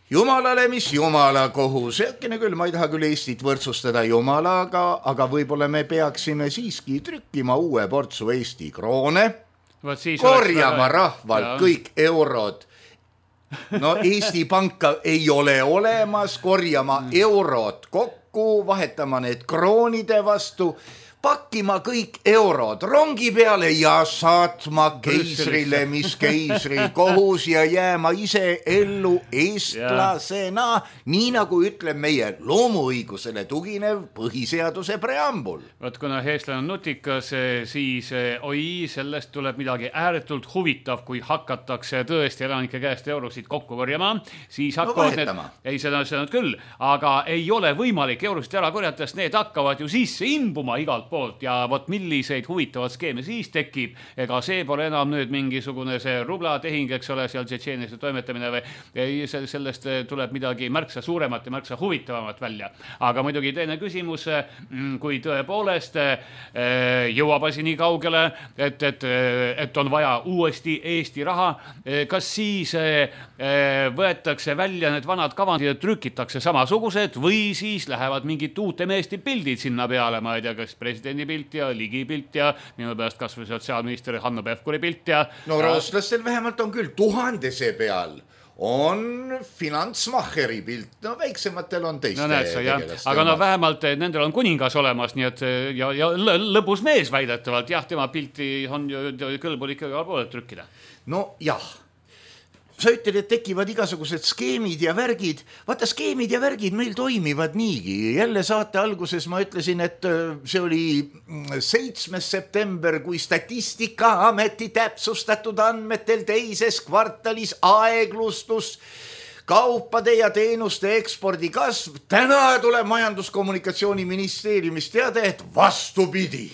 Jumalale, mis Jumala kohus. Äkkene küll, ma ei taha küll Eestit võrdsustada Jumalaga, aga võib-olla me peaksime siiski trükkima uue portsu Eesti kroone, korjama rahvalt ja. Kõik eurod. No Eesti Panka ei ole olemas, korjama mm. eurod kokku, vahetama need kroonide vastu, pakkima kõik eurod rongi peale ja saatma keisrile, mis keisril kohus ja jääma ise ellu eestlasena, nii nagu ütleb meie loomuõigusele tuginev põhiseaduse preambul. Vaat kuna eestlane on nutikas, siis oi, sellest tuleb midagi ääretult huvitav, kui hakatakse tõesti elanike käest eurosid kokku korjama, siis hakkavad no, need, ei seda sõnad küll, aga ei ole võimalik eurosid ära korjata, sest need hakkavad ju sisse imbuma igalt poolt ja vot milliseid huvitavad skeeme siis tekib, ega see pole enam nüüd mingisugune see rublatehing, eks ole, seal Tšetšeeniasse toimetamine või sellest tuleb midagi märksa suuremat ja märksa huvitavamat välja. Aga muidugi teine küsimus, kui tõepoolest jõuab asi nii kaugele, et, et, et on vaja uuesti Eesti raha, kas siis võetakse välja need vanad kavandid ja trükitakse samasugused või siis lähevad mingid uute meeste pildid sinna peale, ma ei tea, kas presidendi pilt ja Ligi pilt ja minu pärast kas või sotsiaalminister Hanno Pevkuri pilt ja... No rootslastel vähemalt on küll tuhandese peal on finantsmacheri pilt, no väiksematel on teiste no, näed, tegelast. Aga no vähemalt nendel on kuningas olemas, nii et ja, ja lõbus mees väidetavalt, jah, tema pilti on ju kõlbul ikkagi poole trükkida. No jah. Sa ütled, et tekivad igasugused skeemid ja värgid. Vaata, skeemid ja värgid meil toimivad niigi. Jälle saate alguses ma ütlesin, et see oli seitsmes september, kui Statistikaameti täpsustatud andmetel teises kvartalis aeglustus kaupade ja teenuste ekspordi kasv. Täna tuleb Majandus-Kommunikatsiooniministeeriumist teada, et vastupidi.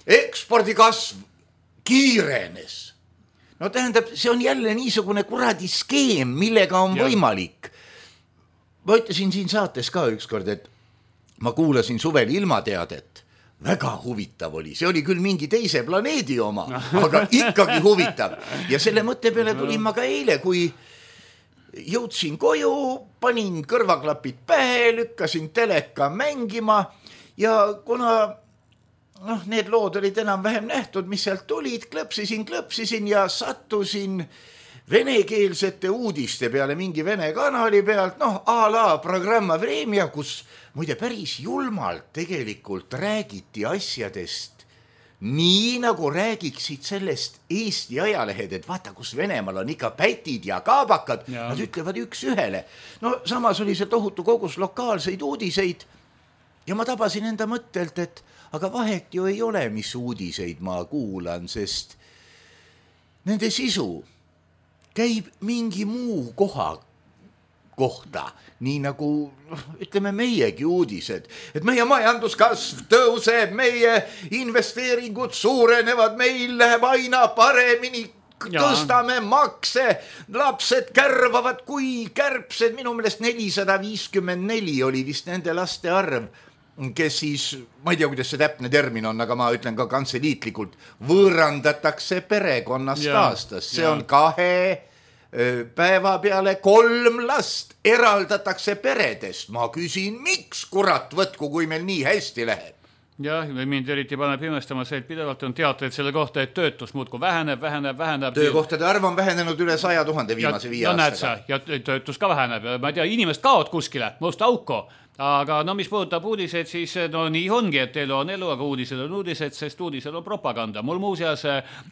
Ekspordi kasv kiirenes. No tähendab, see on jälle niisugune kuradi skeem, millega on ja. Võimalik. Ma ütlesin siin saates ka ükskord, et ma kuulasin suvel ilmateadet. Väga huvitav oli. See oli küll mingi teise planeedi oma, aga ikkagi huvitav. Ja selle mõtte peale tulin ma ka eile, kui jõudsin koju, panin kõrvaklapid pähe, lükkasin teleka mängima ja kuna... noh, need lood olid enam vähem nähtud, mis sealt tulid, klõpsisin, klõpsisin ja sattusin venekeelsete uudiste peale mingi vene kanali pealt, noh, a la programma Vremja, kus muide päris julmalt tegelikult räägiti asjadest nii nagu räägiksid sellest Eesti ajalehed, et vaata, kus Venemaal on ikka pätid ja kaabakad, ja. Nad ütlevad üks ühele. No samas oli see tohutu kogus lokaalseid uudiseid ja ma tabasin enda mõttelt, et aga vahet ju ei ole, mis uudiseid ma kuulan, sest nende sisu käib mingi muu koha kohta, nii nagu ütleme meiegi uudised, et meie majanduskasv tõuseb, meie investeeringud suurenevad, meil läheb aina paremini, tõstame makse, lapsed kärvavad kui kärbsed, minu meelest nelisada viiskümmend neli oli vist nende laste arv, kes siis, ma ei tea, kuidas see täpne termin on, aga ma ütlen ka kantseliitlikult, võõrandatakse perekonnast ja, aastas. See ja. On kahe päeva peale kolm last eraldatakse peredest. Ma küsin, miks kurat võtku, kui meil nii hästi läheb? Jah, mind eriti paneb imestama see, et pidevalt on teateid selle kohta, et töötus muudku väheneb, väheneb, väheneb. Töökohtade arv on vähenenud üle saja tuhande viimase viie aastaga. Ja töötus ka väheneb. Ma ei tea, inimest kaod kuskile, musta auko. Aga no mis puudutab uudised, siis no nii ongi, et elu on elu, aga uudised on uudised, sest uudised on propaganda. Mul muuseas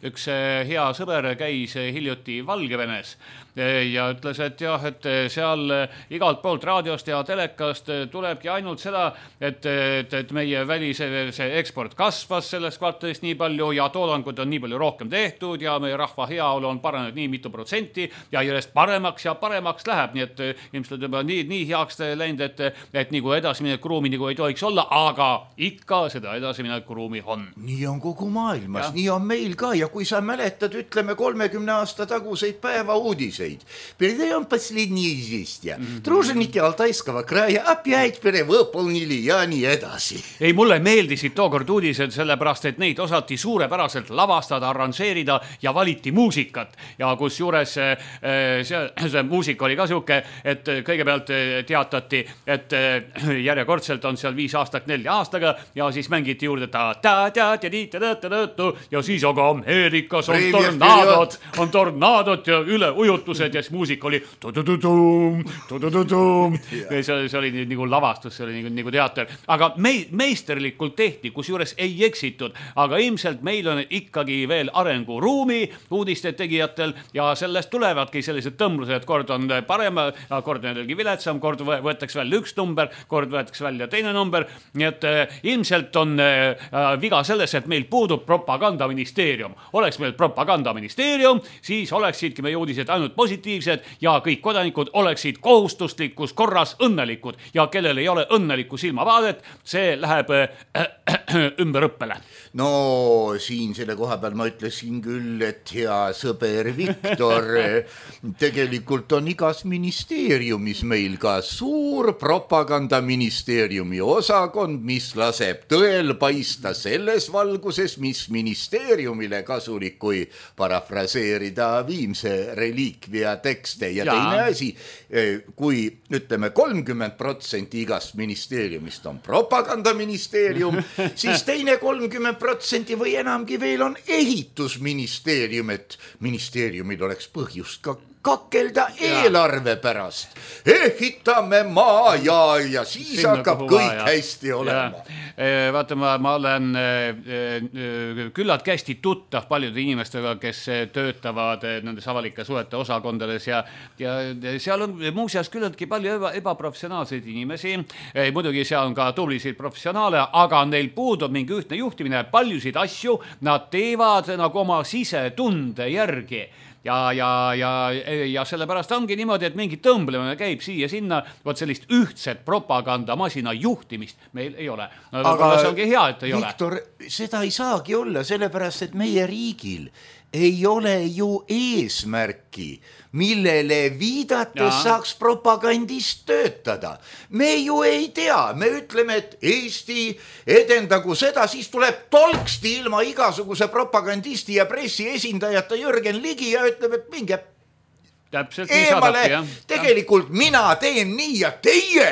üks hea sõber käis hiljuti Valgevenes ja ütles, et jah, et seal igalt poolt raadiost ja telekast tulebki ainult seda, et, et, et meie välise see eksport kasvas sellest kvartalist nii palju ja toodangud on nii palju rohkem tehtud ja meie rahva heaolu on paranenud nii mitu protsenti ja järjest paremaks ja paremaks läheb, nii et ilmselt juba nii, nii heaks läinud, et, et nagu edasimineku ruumi nagu ei tohiks olla, aga ikka seda edasimineku ruumi on. Nii on kogu maailmas, ja. Nii on meil ka ja kui sa mäletad, ütleme kolmekümne aasta taguseid päeva uudiseid. Передаем последние известия. Mm-hmm. Труженики Алтайского края опять перевыполнили ja nii edasi. Ei, mulle meeldisid tookord uudised sellepärast, et neid osati suurepäraselt lavastada, arranžeerida ja valiti muusikat. Ja kus juures see, see muusika oli ka siuke, et kõigepealt teatati, et järjekordselt on seal viis aastat nelja aastaga ja siis mängiti juurde ta ta ta ta ta ta ta ja siis aga Ameerikas on tornaadod, on tornaadod ja üleujutused ja siis muusika oli tu-tu-tu-tum, tu-tu-tu-tum. See, see oli nagu lavastus, see oli nagu, nagu teater, aga me, meisterlikult tehti, kus juures ei eksitud, aga ilmselt meil on ikkagi veel arenguruumi uudiste tegijatel ja sellest tulevadki sellised tõmblused, kord on parem, kord on jällegi viletsam, kord võetakse välja üks number, kord võetakse välja teine number, nii et äh, ilmselt on äh, viga selles, et meil puudub propagandaministeerium. Oleks meil propagandaministeerium, siis oleksidki meie uudised ainult positiivsed ja kõik kodanikud oleksid kohustuslikus korras õnnelikud ja kellel ei ole õnnelikku silmavaadet, see läheb äh, ümber õppele. No siin selle koha peal ma ütlesin küll, et hea sõber Viktor, tegelikult on igas ministeeriumis meil ka suur propagandaministeeriumi osakond, mis laseb tõel paista selles valguses, mis ministeeriumile kasulik, kui parafraseerida Viimse reliikvia tekste ja, ja teine asi, kui ütleme kolmkümmend protsenti igast ministeeriumist on propagandaministeerium, siis teine kolmkümmend protsenti või enamgi veel on ehitusministeerium, et ministeeriumil oleks põhjust ka kakkelda eelarve pärast. Ehitame maa ja, ja siis Sinna hakkab kõik vaja. Hästi olema. Vaata, ma, ma olen küllalt hästi tuttav paljude inimestega, kes töötavad nendes avalike suhete osakondades ja, ja seal on muuseas küllaltki palju eba, ebaprofessionaalseid inimesi. Muidugi seal on ka tublisid professionaale, aga neil puudub mingi ühtne juhtimine. Paljusid asju nad teevad nagu oma sisetunde järgi. Ja, ja, ja, ja sellepärast ongi niimoodi, et mingi tõmblemine käib siia sinna, võt sellist ühtset propagandamasina juhtimist meil ei ole. No, aga see ongi hea, et ei Viktor, ole. Seda ei saagi olla, sellepärast, et meie riigil ei ole ju eesmärki, millele viidates ja. Saaks propagandist töötada. Me ju ei tea, me ütleme, et Eesti edendagu seda, siis tuleb tolksti ilma igasuguse propagandisti ja pressi esindajata Jürgen Ligi ja ütleb, et minge Täpselt, eemale, saadabki, tegelikult ja. Mina teen nii ja teie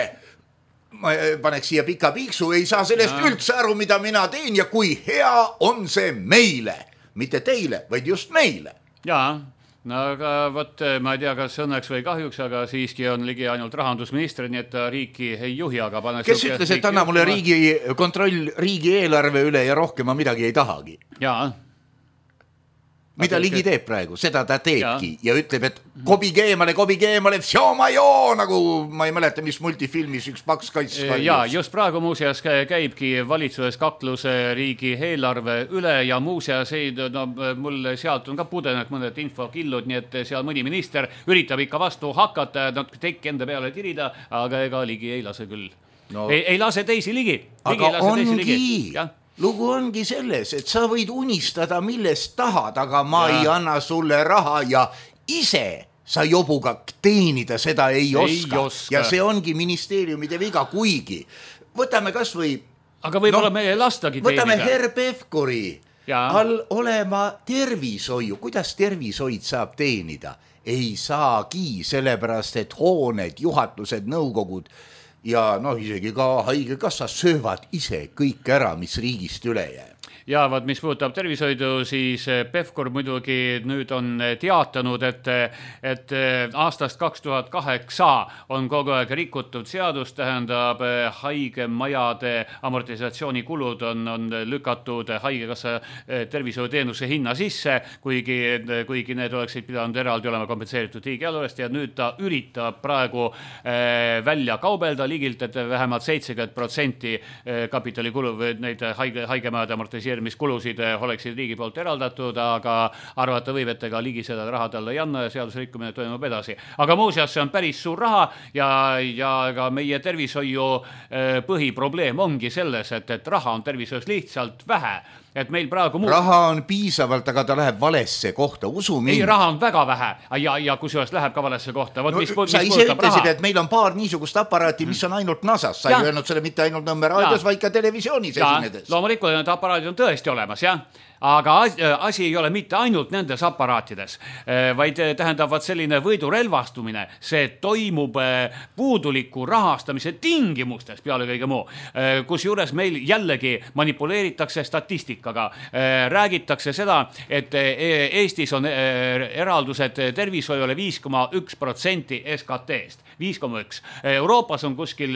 ma paneks siia pika piiksu, ei saa sellest ja. Üldse aru, mida mina teen ja kui hea on see meile, mitte teile, vaid just meile. Jaa. No aga võt, ma ei tea, kas õnneks või kahjuks, aga siiski on Ligi ainult rahandusminister, nii et ta riiki ei juhi, aga pane kes ütles, et anna mulle riigi kontroll riigi eelarve üle ja rohkem ma midagi ei tahagi? Jaa. Mida Ligi teeb praegu? Seda ta teebki ja, ja ütleb, et kobige eemale, kobige eemale, vsjomajoo, nagu ma ei mäleta, mis multifilmis üks paks kaits. Ja just praegu muuseas käibki valitsuses kakluse riigi eelarve üle ja muuseas ei, no, mul sealt on ka pudenud mõned infokillud, nii et seal mõni minister üritab ikka vastu hakata, nad tekki enda peale tirida, aga ega Ligi ei lase küll. No. Ei, ei lase teisi Ligi. Ligi aga ongi... Lugu ongi selles, et sa võid unistada millest tahad, aga ma ja. Ei anna sulle raha ja ise sa jobuga teenida seda ei, ei oska. oska. Ja see ongi ministeeriumide viga, kuigi. Võtame kas või... Aga võib-olla no, meie lastagi teenida. Võtame Herr Pevkuri all olema tervishoiu. Kuidas tervishoid saab teenida? Ei saagi, sellepärast, et hooned, juhatused, nõukogud ja noh, isegi ka haigekassa söövad ise kõik ära, mis riigist üle jääb. Ja vaat, mis puudutab tervishoidu, siis Pevkur muidugi nüüd on teatanud, et, et aastast kaks tuhat kaheksa on kogu aeg rikutud seadus, tähendab haigemajade amortisatsioonikulud on, on lükatud haigekassa tervishoiuteenuse hinna sisse, kuigi, kuigi need oleksid pidanud eraldi olema kompenseeritud riigieelarvest ja nüüd ta üritab praegu välja kaubelda Ligilt, et vähemalt seitsekümmend protsenti kapitalikulu või neid haige, haigemajade amortiseerimised mis kulusid oleksid riigi poolt eraldatud, aga arvata võib, et ega Ligi seda raha talle ei anna ja seadusrikkumine toimub edasi. Aga muuseas, see on päris suur raha ja, ja ka meie tervishoiu põhiprobleem ongi selles, et, et raha on tervishoius lihtsalt vähe. Et meil praegu muu... Raha on piisavalt, aga ta läheb valesse kohta, usu mind. Ei, raha on väga vähe ja, ja kusjuures läheb ka valesse kohta. Võt, no, mis, sa mis ise ütlesid, et meil on paar niisugust aparaati, mis on ainult nasas. Sa ei öelnud selle mitte ainult Nõmme raadios, vaid ka televisioonis ja, esinedes. Loomulikult need aparaadid on tõesti olemas, jah. aga asi ei ole mitte ainult nendes aparaatides, vaid tähendavad selline võidurelvastumine, see toimub puuduliku rahastamise tingimustes peale kõige muu, kus juures meil jällegi manipuleeritakse statistikaga, räägitakse seda, et Eestis on eraldused tervishoiule viis koma üks protsenti S K T-st, viis koma üks. Euroopas on kuskil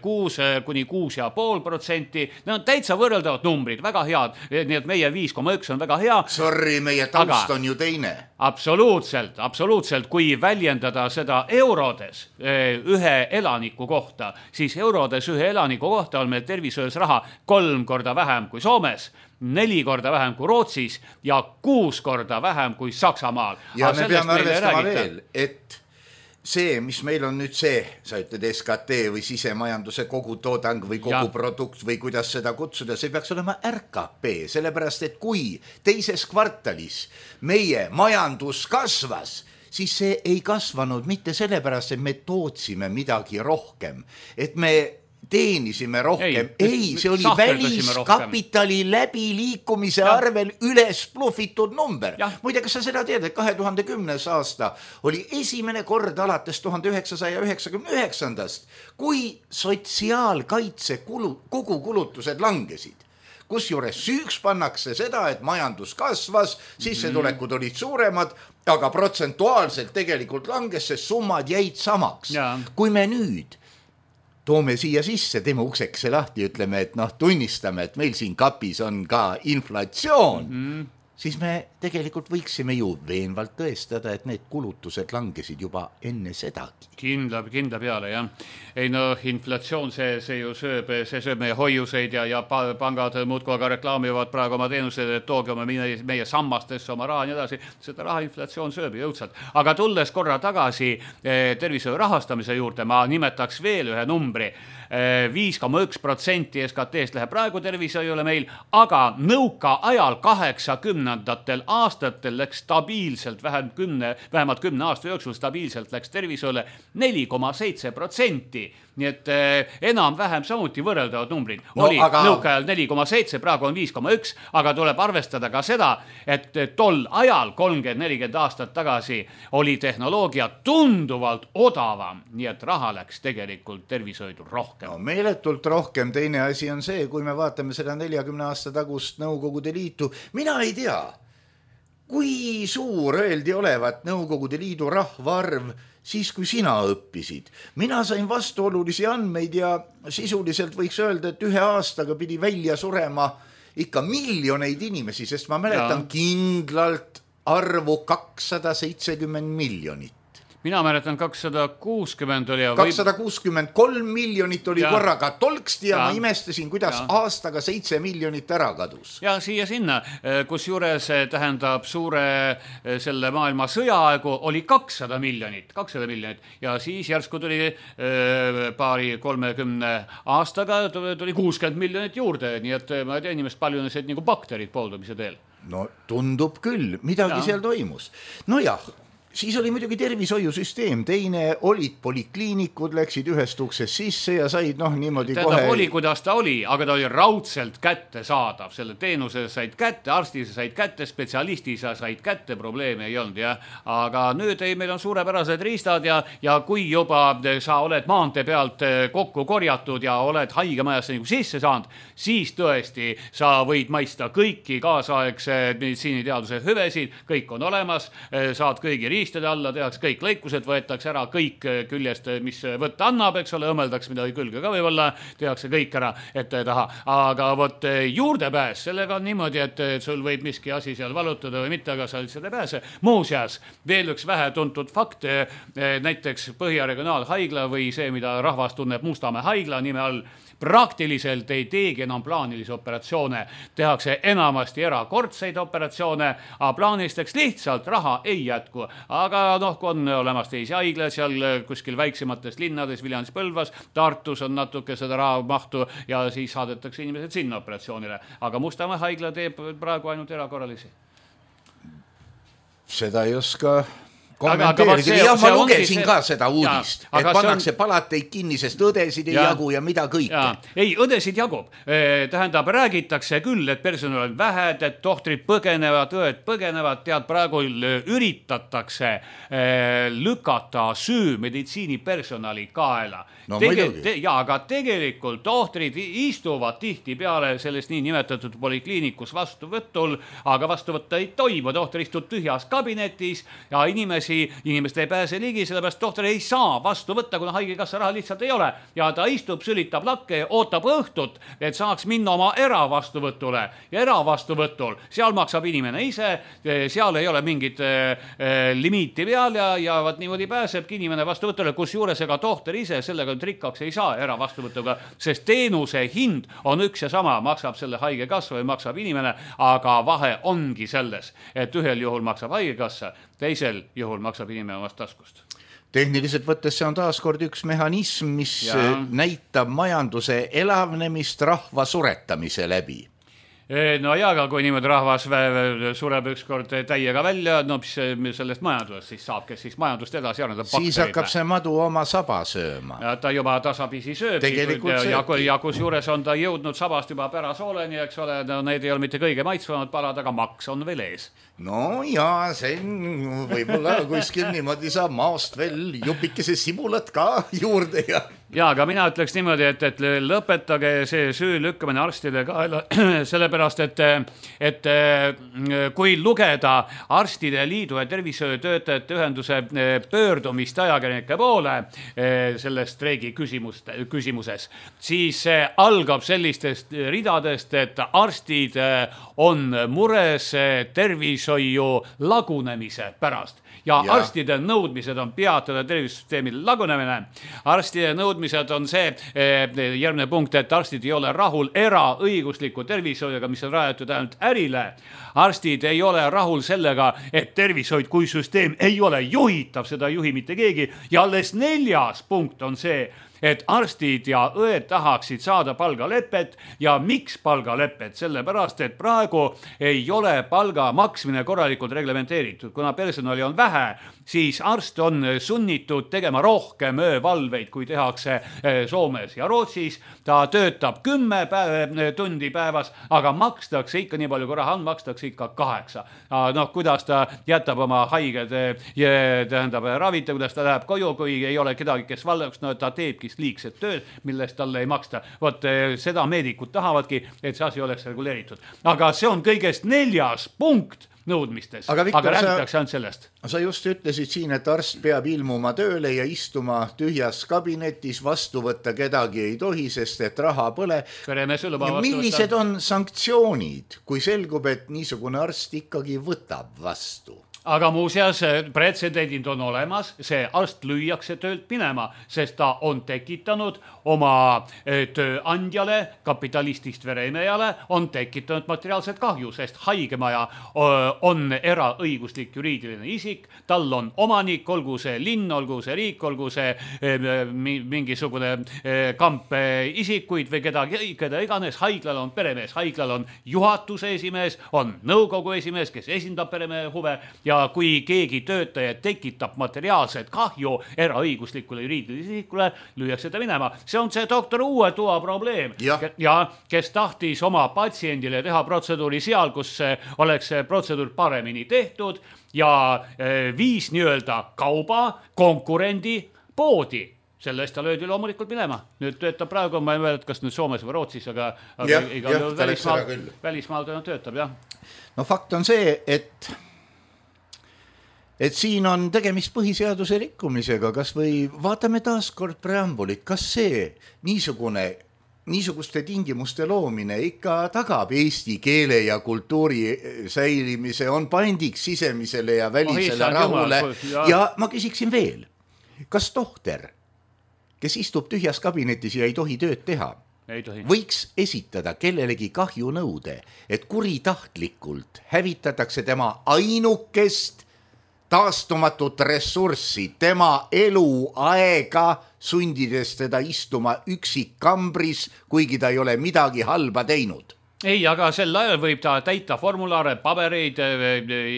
kuus kuni kuus ja pool protsenti. Need on täitsa võrreldavad numbrid, väga head. Nii et meie viis koma üks on väga hea. Sorry, meie taust aga on ju teine. Absoluutselt, absoluutselt. Kui väljendada seda eurodes ühe elaniku kohta, siis eurodes ühe elaniku kohta on meil tervishoius raha kolm korda vähem kui Soomes, neli korda vähem kui Rootsis ja kuus korda vähem kui Saksamaal. Ja aga me peame arvestama veel, et see, mis meil on nüüd see, sa ütled S K T või sisemajanduse kogu toodang või kogu ja. produkt või kuidas seda kutsuda, see peaks olema R K P, sellepärast et kui teises kvartalis meie majandus kasvas, siis see ei kasvanud mitte sellepärast, et me tootsime midagi rohkem, et me teenisime rohkem. Ei, ei see oli väliskapitali läbi liikumise ja. arvel üles plufitud number. Muide, kas sa seda tead, et kahe tuhande kümnes aasta oli esimene kord alates tuhande üheksasaja üheksakümne üheksandast, kui sotsiaalkaitse kulu, kogu kulutused langesid. Kusjuures süüks pannakse seda, et majandus kasvas, sissetulekud olid suuremad, aga protsentuaalselt tegelikult langes, sest summad jäid samaks. Ja. Kui me nüüd toome siia sisse, teeme ukseks lahti, ütleme, et noh, tunnistame, et meil siin kapis on ka inflatsioon, mm-hmm. siis me tegelikult võiksime ju veenvalt tõestada, et need kulutused langesid juba enne sedagi. Kindla, kindla peale, jah. Ei no, inflatsioon, see, see ju sööb, see sööb meie hoiuseid ja, ja pangad muudkui aga reklaamivad praegu oma teenused, et tooge oma meie, meie sammastesse oma raha ja nii edasi. Seda raha inflatsioon sööb jõudsalt. Aga tulles korra tagasi eh, tervishoiu rahastamise juurde, ma nimetaks veel ühe numbri. viis koma üks protsenti S K T-st läheb praegu tervishoiule meil, aga nõuka ajal kaheksakümnendatel aastatel läks stabiilselt, vähemalt kümne, vähemalt kümne aasta jooksul stabiilselt läks tervishoiule neli koma seitse protsenti. Nii et eh, enam-vähem samuti võrreldavad numbrid. No, oli aga nõukaajal neli koma seitse, praegu on viis koma üks, aga tuleb arvestada ka seda, et tol ajal kolmkümmend nelikümmend aastat tagasi oli tehnoloogia tunduvalt odavam, nii et raha läks tegelikult tervishoidu rohkem. No, meeletult rohkem. Teine asi on see, kui me vaatame seda neljakümne aasta tagust Nõukogude Liitu, mina ei tea, kui suur öeldi olevat Nõukogude Liidu rahvaarv siis, kui sina õppisid. Mina sain vastuolulisi andmeid ja sisuliselt võiks öelda, et ühe aastaga pidi välja surema ikka miljoneid inimesi, sest ma mäletan ja. kindlalt arvu kakssada seitsekümmend miljonit. Mina mäletan kakssada kuuskümmend oli. kakssada kuuskümmend kolm miljonit oli ja. korraga tolksti ja, ja ma imestasin, kuidas ja. aastaga seitse miljonit ära kadus. Ja siia sinna, kus juures tähendab suure selle maailma sõjaaegu oli kakssada miljonit, kakssada miljonit ja siis järsku tuli paari kolmekümne aastaga tuli kuuskümmend miljonit juurde, nii et ma ei tea inimest palju nesid nagu bakterid pooldumise teel. No tundub küll, midagi ja. seal toimus. No jah. Siis oli muidugi tervishoiusüsteem, teine olid polikliinikud, läksid ühest uksest sisse ja said noh niimoodi Tähendab, kohe... oli, kuidas ta oli, aga ta oli raudselt kätte saadav. Selle teenuse said kätte, arsti said kätte, spetsialisti said kätte, probleeme ei olnud. Ja. Aga nüüd ei, meil on suurepärased riistad ja, ja kui juba sa oled maantee pealt kokku korjatud ja oled haigemajasse nagu sisse saanud, siis tõesti sa võid maista kõiki kaasaegse meditsiiniteaduse hüvesid, kõik on olemas, saad kõigi riistad riistade alla, tehakse kõik lõikused, võetakse ära kõik küljest, mis võtta annab, eks ole, õmeldaks midagi külge ka võib-olla, tehakse kõik ära ette taha. Aga võt juurdepääs, sellega on niimoodi, et sul võib miski asi seal valutada või mitte, aga sa lihtsalt ei pääse. Muuseas, veel üks vähe tuntud fakt, näiteks Põhja regionaalhaigla või see, mida rahvas tunneb Mustamäe haigla nime all, praktiliselt ei teegi enam plaanilisi operatsioone. Tehakse enamasti erakordseid operatsioone, aga plaanilisteks lihtsalt raha ei jätku. Aga noh, kui on olemas teisi haigla, seal kuskil väiksemates linnades, Viljandis, Põlvas, Tartus on natuke seda raha mahtu ja siis saadetakse inimesed sinna operatsioonile. Aga Mustamäe haigla teeb praegu ainult erakorralisi. Seda ei oska kommenteerige, jah, ma lugesin see... ka seda uudist, ja, et pannakse on... palateid kinni, sest õdesid ei ja. jagu ja mida kõike. Ei, õdesid jagub. Tähendab, räägitakse küll, et personal on vähed, et tohtrid põgenevad, õed põgenevad, tead, praegu üritatakse lükata süü meditsiinipersonali kaela. No, Tege, te, ja, aga tegelikult tohtrid istuvad tihti peale sellest nii nimetatud polikliinikus vastuvõtul, aga vastuvõtta ei toimu. Tohter istub tühjas kabinetis ja inimesi, inimeste ei pääse ligi, sellepärast tohter ei saa vastu võtta, kuna haigekassa raha lihtsalt ei ole. Ja ta istub, sülitab lakke, ootab õhtut, et saaks minna oma eravastuvõtule. Ja eravastuvõtul, seal maksab inimene ise, seal ei ole mingit äh, limiiti peal ja, ja vaat niimoodi pääsebki inimene vastuvõtule, kus juures ega tohter ise sellega rikkaks ei saa eravastuvõtuga, sest teenuse hind on üks ja sama, maksab selle haigekassa või maksab inimene, aga vahe ongi selles, et ühel juhul maksab haigekassa, teisel juhul maksab inimene omast taskust. Tehniliselt võttes see on taaskord üks mehhanism, mis ja. näitab majanduse elavnemist rahva suretamise läbi. No ja, aga kui niimoodi rahvas sureb ükskord täiega välja, no mis sellest majandusest siis saab, kes siis majandust edasi arendab? Siis hakkab see madu oma saba sööma. Ja ta juba tasapisi sööb. Ja, ja, ja kus juures on ta jõudnud sabast juba pärasooleni, eks ole, no need ei ole mitte kõige maitsvamad palad, aga maks on veel ees. No ja, see võib-olla kuskil niimoodi saab maast veel jupikese sibulat ka juurde ja... Ja, aga mina ütleks niimoodi, et, et lõpetage see süü lükkamine arstide kaela, sellepärast, et, et kui lugeda Arstide Liidu ja tervishoiutöötajate ühenduse pöördumist ajakirjanike poole selles streigi küsimuses, siis see algab sellistest ridadest, et arstid on mures tervishoiu lagunemise pärast. Ja, ja arstide nõudmised on peatada tervisesüsteemi lagunemine. Arstide nõudmised on see eh, järgmine punkt, et arstid ei ole rahul eraõigusliku tervishoiuga, mis on rajatud ainult ärile. Arstid ei ole rahul sellega, et tervishoid kui süsteem ei ole juhitav, seda ei juhi mitte keegi. Ja alles neljas punkt on see, et arstid ja õed tahaksid saada palgalepet ja miks palgalepet? Sellepärast, et praegu ei ole palga maksmine korralikult reglementeeritud. Kuna personali on vähe, siis arst on sunnitud tegema rohkem öövalveid, kui tehakse Soomes ja Rootsis. Ta töötab kümme päev, tundi päevas, aga makstakse ikka nii palju, kui raha on, makstakse ikka kaheksa. No, kuidas ta jätab oma haiged tähendab ravita, kuidas ta läheb koju, kui ei ole kedagi, kes valdaks, no ta teebki liigset tööd, millest talle ei maksta. Vot seda meedikud tahavadki, et see asi oleks reguleeritud. Aga see on kõigest neljas punkt nõudmistes, aga, Viktor, aga räägitakse ainult sellest. Sa just ütlesid siin, et arst peab ilmuma tööle ja istuma tühjas kabinetis, vastu võtta kedagi ei tohi, sest et raha põle. Millised on sanktsioonid, kui selgub, et niisugune arst ikkagi võtab vastu? Aga muuseas, pretsedendid on olemas, see arst lüüakse töölt minema, sest ta on tekitanud oma tööandjale, kapitalistist veremejale, on tekitanud materiaalset kahju, sest haigemaja on eraõiguslik juriidiline isik, tal on omanik, olgu see linn, olgu see riik, olgu see mingisugune kamp isikuid või kedagi, keda iganes, haiglal on peremees, haiglal on juhatuse esimees, on nõukogu esimees, kes esindab peremehe huve ja Ja kui keegi töötaja tekitab materiaalset kahju eraõiguslikule juriidilisele isikule, lüüakse ta minema. See on see doktor Uue Toa probleem. Ja. ja kes tahtis oma patsiendile teha protseduuri seal, kus oleks protseduur paremini tehtud ja viis nii-öelda kauba konkurendi poodi. Selle eest ta löödi loomulikult minema. Nüüd töötab praegu, ma ei mõelda, kas nüüd Soomes või Rootsis, aga, aga ja, igal ja, välismaal, välismaal ta töötab, jah. No fakt on see, et et siin on tegemist põhiseaduse rikkumisega, kas või vaatame taaskord preambulit, kas see niisugune, niisuguste tingimuste loomine ikka tagab eesti keele ja kultuuri säilimise, on pandiks sisemisele ja välisele oh, rahule. Ja. ja ma küsiksin veel, kas tohter, kes istub tühjas kabinetis ja ei tohi tööd teha, ei tohi. Võiks esitada kellelegi kahjunõude, et kuritahtlikult hävitatakse tema ainukest taastumatut ressurssi, tema eluaega, sundides teda istuma üksik kambris, kuigi ta ei ole midagi halba teinud. ei, aga sel ajal võib ta täita formulaare, pabereid,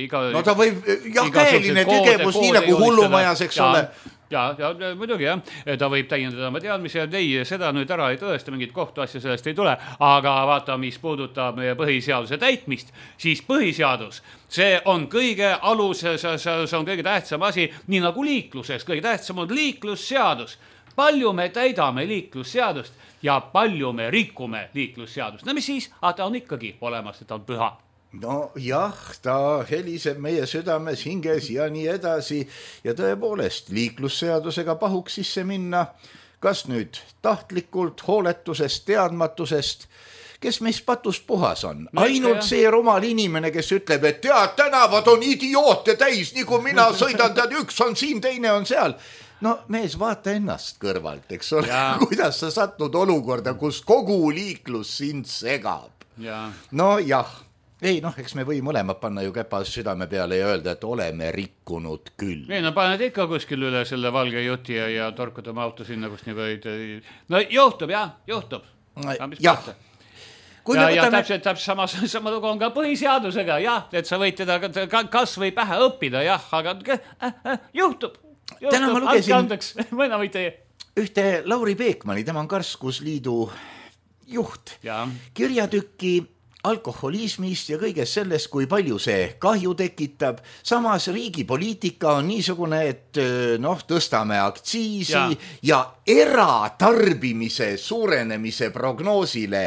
iga... No ta võib, jah, käeline tegevus, nii nagu hullumajas, eks ole. Ja, ja muidugi jah, ta võib täiendada oma teadmisi ja ei, seda nüüd ära ei tõesta, mingit kohtuasja sellest ei tule, aga vaata, mis puudutab meie põhiseaduse täitmist, siis põhiseadus, see on kõige alus, see on kõige tähtsam asi, nii nagu liikluses, kõige tähtsam on liiklusseadus. Palju me täidame liiklusseadust ja palju me rikume liiklusseadust. No mis siis? Ah, ta on ikkagi olemas, et ta on püha. No jah, ta heliseb meie südames, hinges ja nii edasi ja tõepoolest liiklusseadusega pahuks sisse minna, kas nüüd tahtlikult, hooletusest, teadmatusest, kes meist patust puhas on. Ainult see rumal inimene, kes ütleb, et tead, tänavad on idioote täis, nii kui mina sõidan, tead, üks on siin, teine on seal. No mees, vaata ennast kõrvalt, eks ole, kuidas sa satud olukorda, kus kogu liiklus sind segab. Ja. No jah. Ei, noh, eks me või mõlemad panna ju käpa südame peale ja öelda, et oleme rikkunud küll. Ei, no paned ikka kuskil üle selle valge juti ja, ja torkud oma auto sinna, kus nii võid. No juhtub, jah, juhtub. Jah. Ja, ja täpselt, täpselt sama, sama lugu on ka põhiseadusega, jah, et sa võid teda kas või pähe õppida, jah, aga äh, äh, juhtub. Täna ma lugesin ühte Lauri Peekmani, tema on Karskusliidu juht, ja. Kirjatükki alkoholismist ja kõigest sellest, kui palju see kahju tekitab. Samas riigi poliitika on niisugune, et noh, tõstame aktsiisi ja, ja eratarbimise suurenemise prognoosile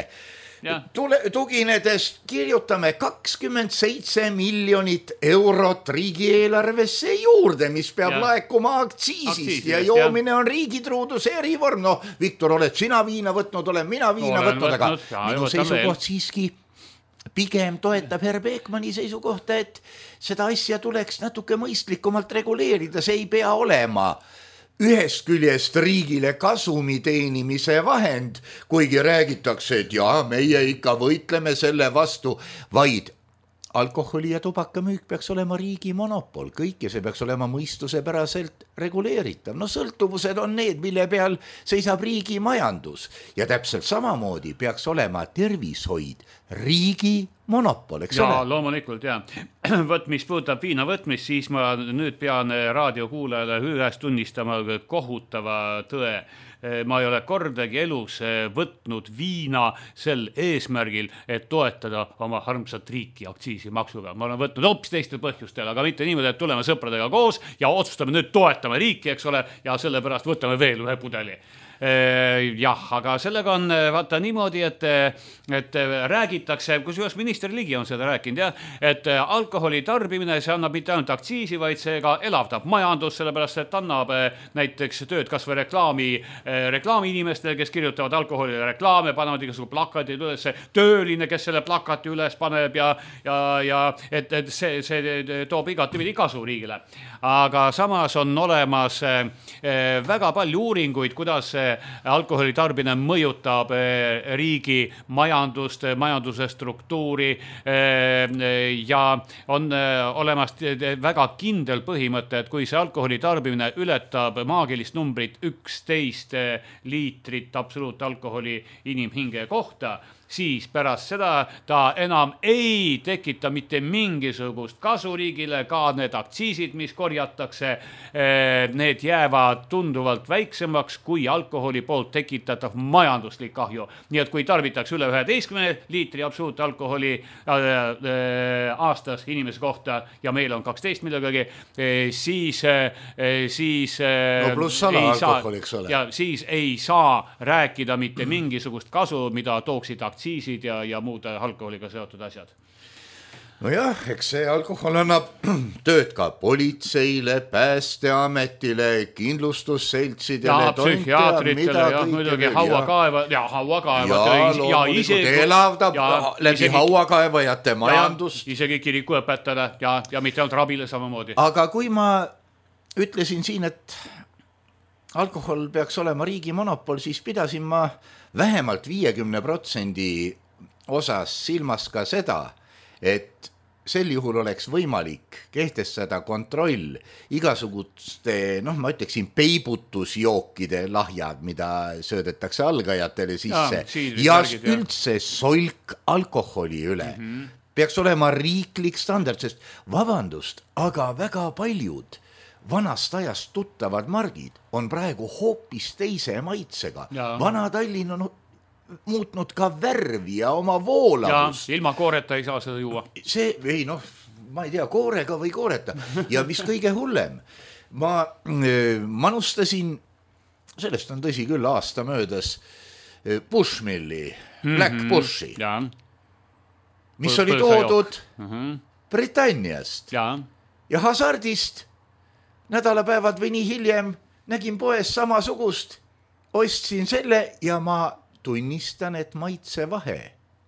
Tule, tuginedes kirjutame kakskümmend seitse miljonit eurot riigieelarvesse juurde, mis peab ja. laekuma aktsiisist, aktsiisist ja joomine ja. on riigitruuduse erivorm. No, Viktor, oled sina viina võtnud, olen mina viina olen võtnud, aga ja, minu seisukoht siiski pigem toetab herr Peekmani seisukohta, et seda asja tuleks natuke mõistlikumalt reguleerida, see ei pea olema ühest küljest riigile kasumi teenimise vahend, kuigi räägitakse, et jaa, meie ikka võitleme selle vastu, vaid alkoholi ja tubakamüük peaks olema riigi monopol, kõik ja see peaks olema mõistusepäraselt reguleeritav. No sõltuvused on need, mille peal seisab riigi majandus ja täpselt samamoodi peaks olema tervishoid riigi monopol, eks ja, ole? Ja, loomulikult, jah. Võt, mis puudutab viina võtmist, siis ma nüüd pean raadiokuulajale ühes tunnistama kohutava tõe. Ma ei ole kordagi elus võtnud viina sel eesmärgil, et toetada oma harmsat riiki aktsiisimaksuga. Ma olen võtnud hoopis teistel põhjustel, aga mitte niimoodi, et tuleme sõpradega koos ja otsustame nüüd toetama riiki, eks ole, ja sellepärast võtame veel ühe pudeli. Jah, aga sellega on vaata niimoodi, et, et räägitakse, kusjuures minister Ligi on seda rääkinud, jah, et alkoholi tarbimine, see annab mitte ainult aktsiisi, vaid see ka elavdab majandus, sellepärast et annab näiteks tööd kas või reklaami, reklaami inimestele, kes kirjutavad alkoholi reklaame, panevad igasugused plakatid üles, tööline, kes selle plakati üles paneb ja, ja, ja et, et see, see toob igatipidi kasu riigile. Aga samas on olemas väga palju uuringuid, kuidas alkoholi tarbine mõjutab riigi majandust, majanduse struktuuri ja on olemas väga kindel põhimõte, et kui see alkoholi tarbimine ületab maagilist numbrit üksteist liitrit absoluutalkoholi inimhinge kohta, siis pärast seda ta enam ei tekita mitte mingisugust kasu riigile, ka need aktsiisid, mis korjatakse, need jäävad tunduvalt väiksemaks kui alkoholi poolt tekitatav majanduslik kahju. Nii et kui tarbitakse üle üheteistkümne liitri absoluutalkoholi aastas inimese kohta ja meil on kaksteist millegagi, siis, siis, no pluss sala alkoholi, eks ole. Ja siis ei saa rääkida mitte mingisugust kasu, mida tooksid aktsiisid aktsiisid ja, ja muud alkoholiga seotud asjad. No jah, eks see alkohol annab tööd ka politseile, päästeametile, kindlustusseltsidele, ja psühhiaatritele, ja muidugi hauakaeva, ja hauakaeva ja, ja isegi elavdab ja, läbi isegi, hauakaevajate majandust. Isegi kiriku õpetada ja, ja mitte ainult rabile samamoodi. Aga kui ma ütlesin siin, et alkohol peaks olema riigi monopol, siis pidasin ma vähemalt viiekümne protsendi osas silmas ka seda, et sel juhul oleks võimalik kehtestada kontroll igasuguste, noh ma ütleksin, peibutusjookide lahjad, mida söödetakse algajatele sisse ja, ja üldse solk alkoholi üle. Mm-hmm. Peaks olema riiklik standard, sest vabandust, aga väga paljud vanast ajast tuttavad margid on praegu hoopis teise maitsega. Ja. Vana Tallinn on muutnud ka värvi ja oma voolavust. Ja ilma kooreta ei saa seda juua. See, ei noh, ma ei tea, koorega või kooreta. Ja mis kõige hullem, ma manustasin, sellest on tõsi küll aasta möödas, Bushmilli, Black mm-hmm. Bushi, ja. Mis Põl- oli toodud mm-hmm. Britanniast ja. Ja hasardist nädalapäevad või nii hiljem nägin poes samasugust, ostsin selle ja ma tunnistan, et maitsevahe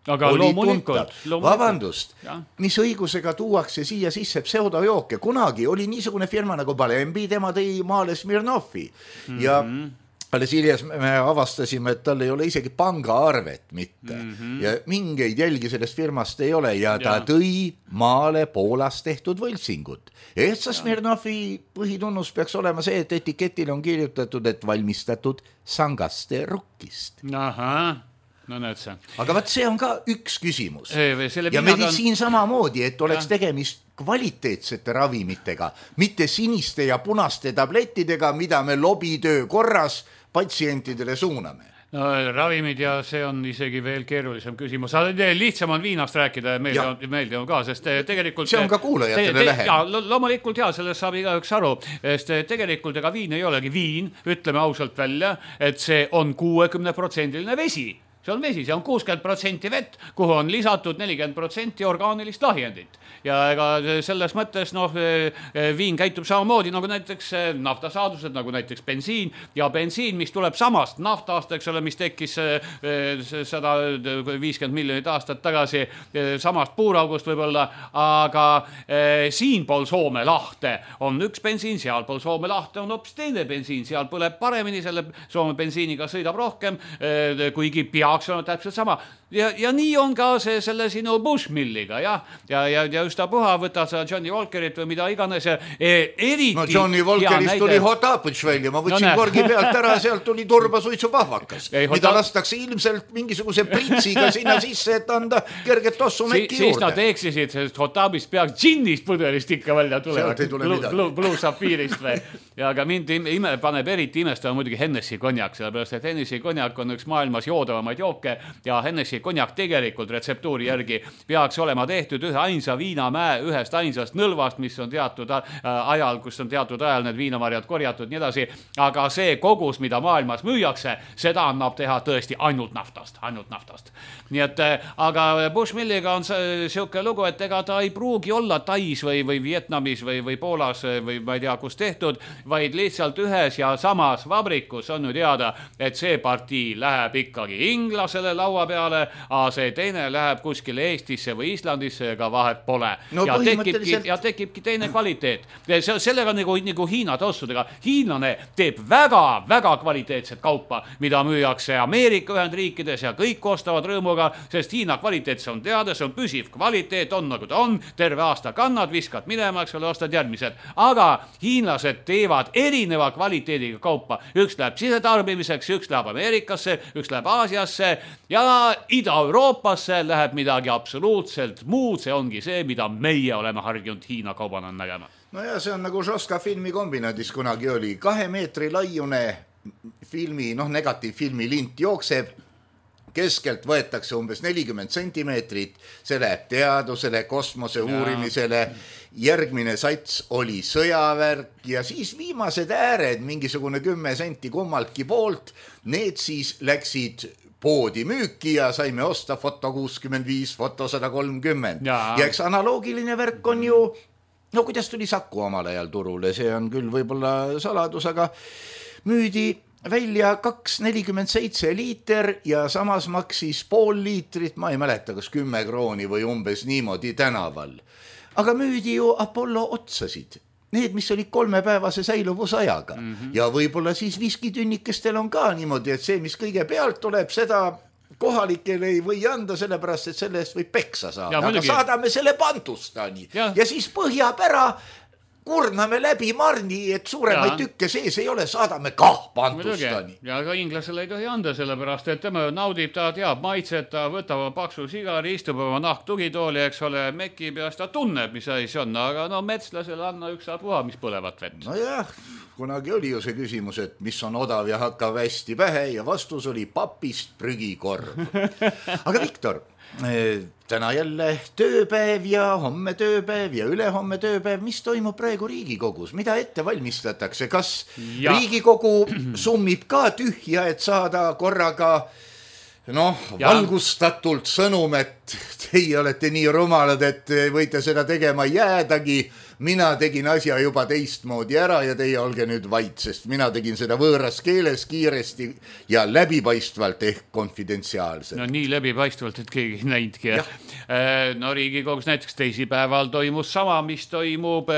aga oli loomulikult, loomulikult. Vabandust, ja. Mis õigusega tuuakse siia sisse pseudojooke. Kunagi oli niisugune firma nagu Balembi, tema tõi maale Smirnovi mm-hmm. ja alles hiljas me avastasime, et tal ei ole isegi pangaarvet mitte mm-hmm. ja mingeid jälgi sellest firmast ei ole ja ta ja. Tõi maale Poolas tehtud võltsingut. Ehtsa Smirnovi põhitunnus peaks olema see, et etiketil on kirjutatud, et valmistatud sangaste rukkist. Ahah, no näed see. Aga vaat see on ka üks küsimus. Selle ja meditsiin on... samamoodi, et oleks ja. Tegemist kvaliteetsete ravimitega, mitte siniste ja punaste tablettidega, mida me lobitöö korras patsientidele suuname. No, ravimid ja see on isegi veel keerulisem küsimus. Lihtsam on viinast rääkida ja meeldi on, meeldi on ka, sest tegelikult... See on ka kuulajatele te, te, lähem. Ja, lo- loomulikult jah, sellest saab igaüks aru, sest tegelikult ega viin ei olegi viin, ütleme ausalt välja, et see on kuuekümne protsendiline vesi. See on vesi, see on kuuskümmend protsenti vett, kuhu on lisatud nelikümmend protsenti orgaanilist lahjendit. Ja ega selles mõttes noh, viin käitub samamoodi nagu näiteks naftasaadused, nagu näiteks bensiin ja bensiin, mis tuleb samast naftast, eks ole, mis tekkis sada viiskümmend miljonit aastat tagasi samast puuraugust võib-olla, aga siinpool Soome lahte on üks bensiin, sealpool Soome lahte on hoopis teine bensiin, seal põleb paremini, selle Soome bensiiniga sõidab rohkem, kuigi peaks on täpselt sama. Ja, ja nii on ka see selle sinu Bushmilliga, ja, ja, ja, ja üstapuha võtad sa Johnny Walkerit või mida iganes. E, eriti, no Johnny Walkerist tuli Hotapõts välja, ma võtsin no, korgi pealt ära, sealt tuli turbasuitsu pahvakas, ei, mida hota... lastakse ilmselt mingisuguse pritsiga sinna sisse, et anda kerget tossu mekki si, juurde. Siis nad eksisid, sest Hotapist peaks džinnist pudelist ikka välja tulevad. Blue, Blue Saphirist või. Ja aga mind ime, paneb eriti imestama muidugi Hennessy konjak, sellepärast et Hennessy konjak on üks maailmas joodavamaid jooke ja Hennessy konjak tegelikult retseptuuri järgi peaks olema tehtud ühe ainsa viinamäe ühest ainsast nõlvast, mis on teatud ajal, kus on teatud ajal need viinamarjad korjatud nii edasi, aga see kogus, mida maailmas müüakse, seda annab teha tõesti ainult naftast, ainult naftast. Nii et, aga Bushmilliga on siuke lugu, et ega ta ei pruugi olla Tais või, või Vietnamis või, või Poolas või ma ei tea, kus tehtud, vaid lihtsalt ühes ja samas vabrikus on ju teada, et see partii läheb ikkagi inglasele laua peale, aga see teine läheb kuskile Eestisse või Islandisse, ega vahet pole. No, ja, tekibki, ja tekibki teine kvaliteet. Sellega nagu, nagu Hiina tossudega. Hiinlane teeb väga, väga kvaliteetset kaupa, mida müüakse Ameerika Ühendriikides ja kõik ostavad rõõmuga, sest Hiina kvaliteet on teada, see on püsiv kvaliteet, on nagu ta on, terve aasta kannad, viskad minema, eks ole, ostad järgmised. Aga hiinlased teevad erineva kvaliteediga kaupa. Üks läheb sisetarbimiseks, üks läheb Ameerikasse, üks läheb Aasiasse ja Ida-Euroopasse läheb midagi absoluutselt muud. See ongi see, mida meie oleme harjunud Hiina kaubana nägema. No ja see on nagu Žoska filmikombinaadis kunagi oli. Kahe meetri laiune filmi, noh negatiivfilmi lint jookseb. Keskelt võetakse umbes nelikümmend sentimeetrit, see läheb teadusele, kosmose uurimisele, järgmine sats oli sõjavärk ja siis viimased ääred, mingisugune kümme senti kummaltki poolt, need siis läksid poodi müüki ja saime osta foto kuuskümmend viis, foto sada kolmkümmend. Ja, ja eks analoogiline värk on ju, no kuidas tuli Saku omal ajal turule, see on küll võib-olla saladus, aga müüdi välja kaks nelikümmend seitse liiter ja samas maksis pool liitrit, ma ei mäleta, kas kümme krooni või umbes niimoodi tänaval. Aga müüdi ju Apollo otsasid, need, mis olid kolmepäevase säiluvusajaga. Mm-hmm. Ja võib-olla siis viskitünnikestel on ka niimoodi, et see, mis kõige pealt tuleb, seda kohalikele ei või anda sellepärast, et selle eest võib peksa saada, Ja, aga muidugi. saadame selle Bantustani ja, Ja. ja siis Põhjapära kurname läbi marni, et suuremaid Ja. tükke sees ei ole, saadame kah Bantustani. ja ka inglasele ei tohi anda, sellepärast, et tema naudib, ta teab maitset, ta võtab paksu sigari, istub oma nahk tugitooli, eks ole, mekib ja ta tunneb, mis asi see on, aga no metslasele anna üks puha, mis põlevat vett. Nojah, kunagi oli ju see küsimus, et mis on odav ja hakkab hästi pähe ja vastus oli papist prügikorv. Aga Viktor, täna jälle tööpäev ja homme tööpäev ja ülehomme tööpäev, mis toimub praegu Riigikogus, mida ette valmistatakse, kas ja. Riigikogu summib ka tühja, et saada korraga noh, valgustatult sõnum, et teie olete nii rumalad, et võite seda tegema jäädagi, mina tegin asja juba teistmoodi ära ja teie olge nüüd vait, sest mina tegin seda võõras keeles kiiresti ja läbipaistvalt ehk konfidentsiaalselt. No nii läbipaistvalt, et keegi ei näinudki. No Riigikogus näiteks teisipäeval toimus sama, mis toimub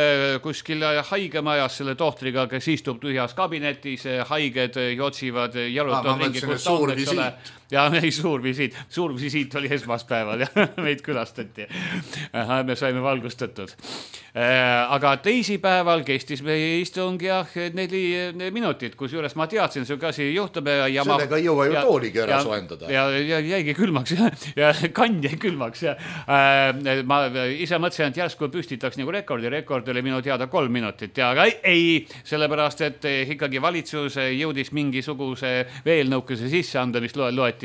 kuskil haigemajas selle tohtriga, kes istub tühjas kabinetis, haiged jotsivad, jarutavad ringi, kus ta on, eks ole. Ja ei, suur visiit, suur visiit oli esmaspäeval ja meid külastati. Me saime valgustatud. Aga teisipäeval kestis meie istung ja neli minutit, kus juures ma teadsin, see kasi juhtub. Ja sellega ei jõua ju ja, tooligi ära ja, soendada. Ja, ja jäigi külmaks ja, ja kann jäi külmaks. Ja, äh, ma ise mõtlesin, et järsku püstitaks nagu rekordi. Rekord oli minu teada kolm minutit. Ja, aga ei, ei, sellepärast, et ikkagi valitsus jõudis mingisuguse veel nõukese sisse anda, mis loeti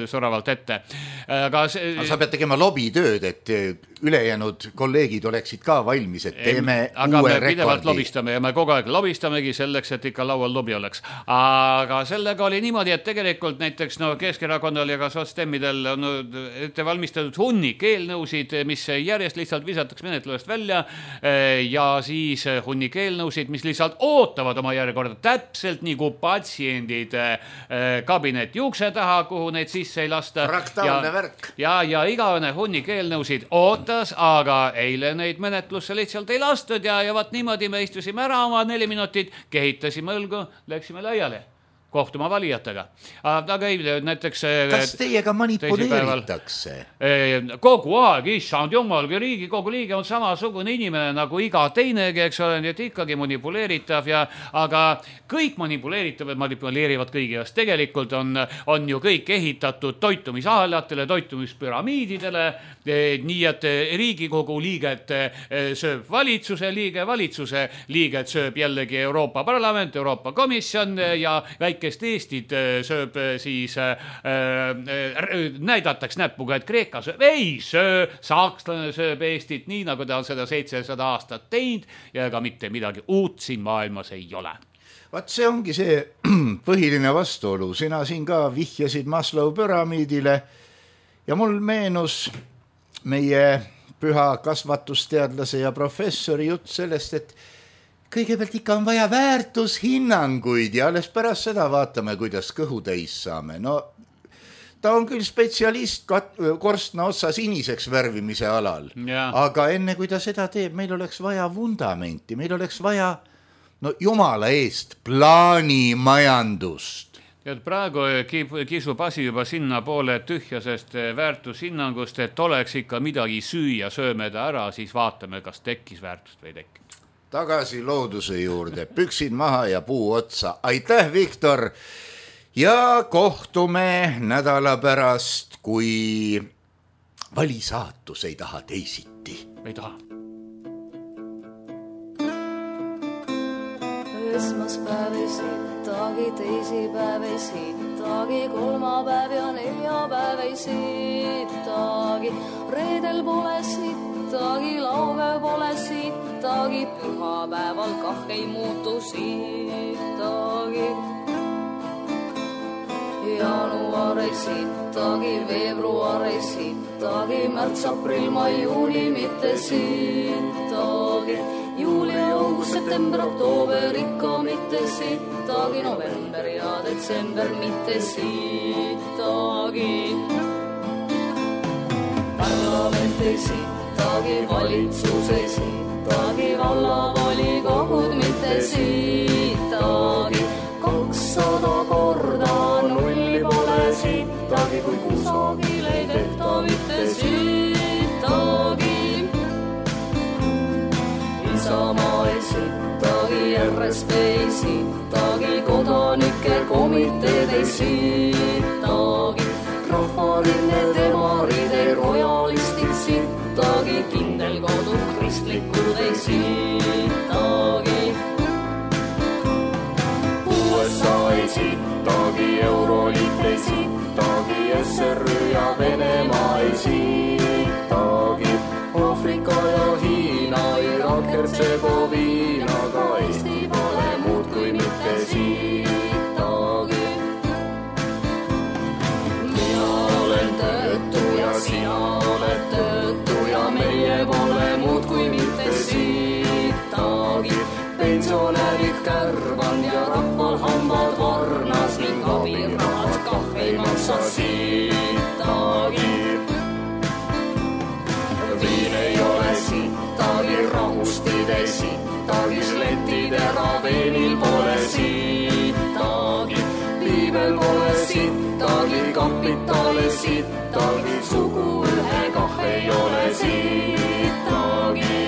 soravalt ette. Aga see... aga sa pead tegema lobitööd, et ülejäänud kolleegid oleksid ka valmis, et teeme aga uue me rekordi. Pidevalt lobistame ja me kogu aeg lobistamegi selleks, et ikka laual lobi oleks. Aga sellega oli niimoodi, et tegelikult näiteks no, Keskerakonnal ja ka sotsdemmidel on ette valmistatud hunnik eelnõusid, mis järjest lihtsalt visatakse menetlusest välja ja siis hunnik eelnõusid, mis lihtsalt ootavad oma järjekorda täpselt nagu patsiendid kabineti ukse taha, kuhu neid sisse ei lasta. Fraktaalne värk. Ja, ja igavene hunnik eelnõusid ootas, aga eile neid menetlusse lihtsalt ei lastud ja, ja vaat niimoodi me istusime ära oma neli minutit, kehitasime õlgu, läksime laiali kohtuma valijatega. Aga ei, näiteks... Kas teiega manipuleeritakse? Kogu aeg, issand jumal, Riigikogu liige on samasugune inimene nagu iga teinegi, eks ole, nii et ikkagi manipuleeritav ja, aga kõik manipuleeritavad manipuleerivad kõigi jaoks. Tegelikult on, on ju kõik ehitatud toitumisahelatele, toitumispüramiididele, nii et Riigikogu liiget sööb valitsuse liige, valitsuse liiget sööb jällegi Euroopa Parlament, Euroopa Komisjon ja väike kes Eestit sööb siis äh, äh, näidataks näpuga, et Kreeka sööb, ei söö, sakslane sööb Eestit nii, nagu ta on seda seitsesada aastat teinud ja ega mitte midagi uut siin maailmas ei ole. Vaat see ongi see põhiline vastuolu. Sina siin ka vihjasid Maslow püramiidile ja mul meenus meie püha kasvatusteadlase ja professori jutt sellest, et kõigepealt ikka on vaja väärtushinnanguid ja alles pärast seda vaatame, kuidas kõhu täis saame. No ta on küll spetsialist korstna otsa siniseks värvimise alal, ja. Aga enne kui ta seda teeb, meil oleks vaja vundamenti, meil oleks vaja, no jumala eest, plaanimajandust. Ja praegu kisub asi juba sinna poole tühjasest väärtushinnangust, et oleks ikka midagi süüa, sööme ta ära, siis vaatame, kas tekkis väärtust või tekkis. Tagasi looduse juurde, püksid maha ja puu otsa. Aitäh, Viktor! Ja kohtume nädala pärast, kui valisaatus ei taha teisiti. Ei taha. Esmaspäev ei sittagi, teisipäev ei sittagi, kolmapäev ja neljapäev ei sittagi, reedel pole sittagi, laupäev pole sittagi, pühapäeval kah ei muutu sittagi. Jaanuar ei sittagi, veebruar ei sittagi, märts, aprill, mai, juuni mitte sittagi, juuli, august, september, oktoober ikka mitte sittagi, november ja detsember mitte sittagi. Parlament ei sittagi, valitsus ei sittagi, vallavolikogud mitte sittagi, kakssada korda nulli pole sittagi, kui kus autoriteed ei sittagi. Rahvaline demarid ei rojalistid sittagi, kindel kodu kristlikud ei sittagi. U S A ei sittagi, Euroliit ei sittagi, S R Ü ja Venemaa ei sittagi. Aafrika ja Hiina, Irak, Hertsegoviina, ka Eesti pole muud kui mitte sittagi. Mina olen töötu ja sina oled töötu ja meie pole muud kui mitte sittagi. Pensionärid kärvan ja rahval hambad varnas ning abirahad kah ei maksa sittagi. Viin ei ole sittagi, rahustid ei sittagi, sletid eraveenil pole sittagi. Piibel pole sittagi, kapitale sittagi, sugu ühe kah ei ole sittagi.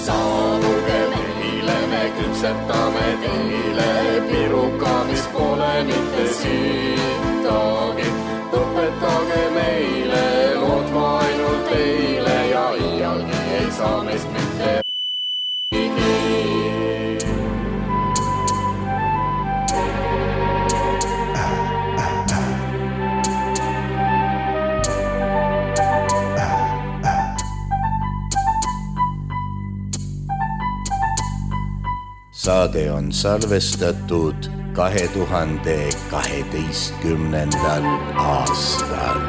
Saabuge meile, me küpsetame teile piruka, mis pole mitte sittagi. Õpetage meile lootma ainult teile ja iialgi ei saa meist mitte higi. Saade on salvestatud kahe tuhande kaheteistkümnendal aastal.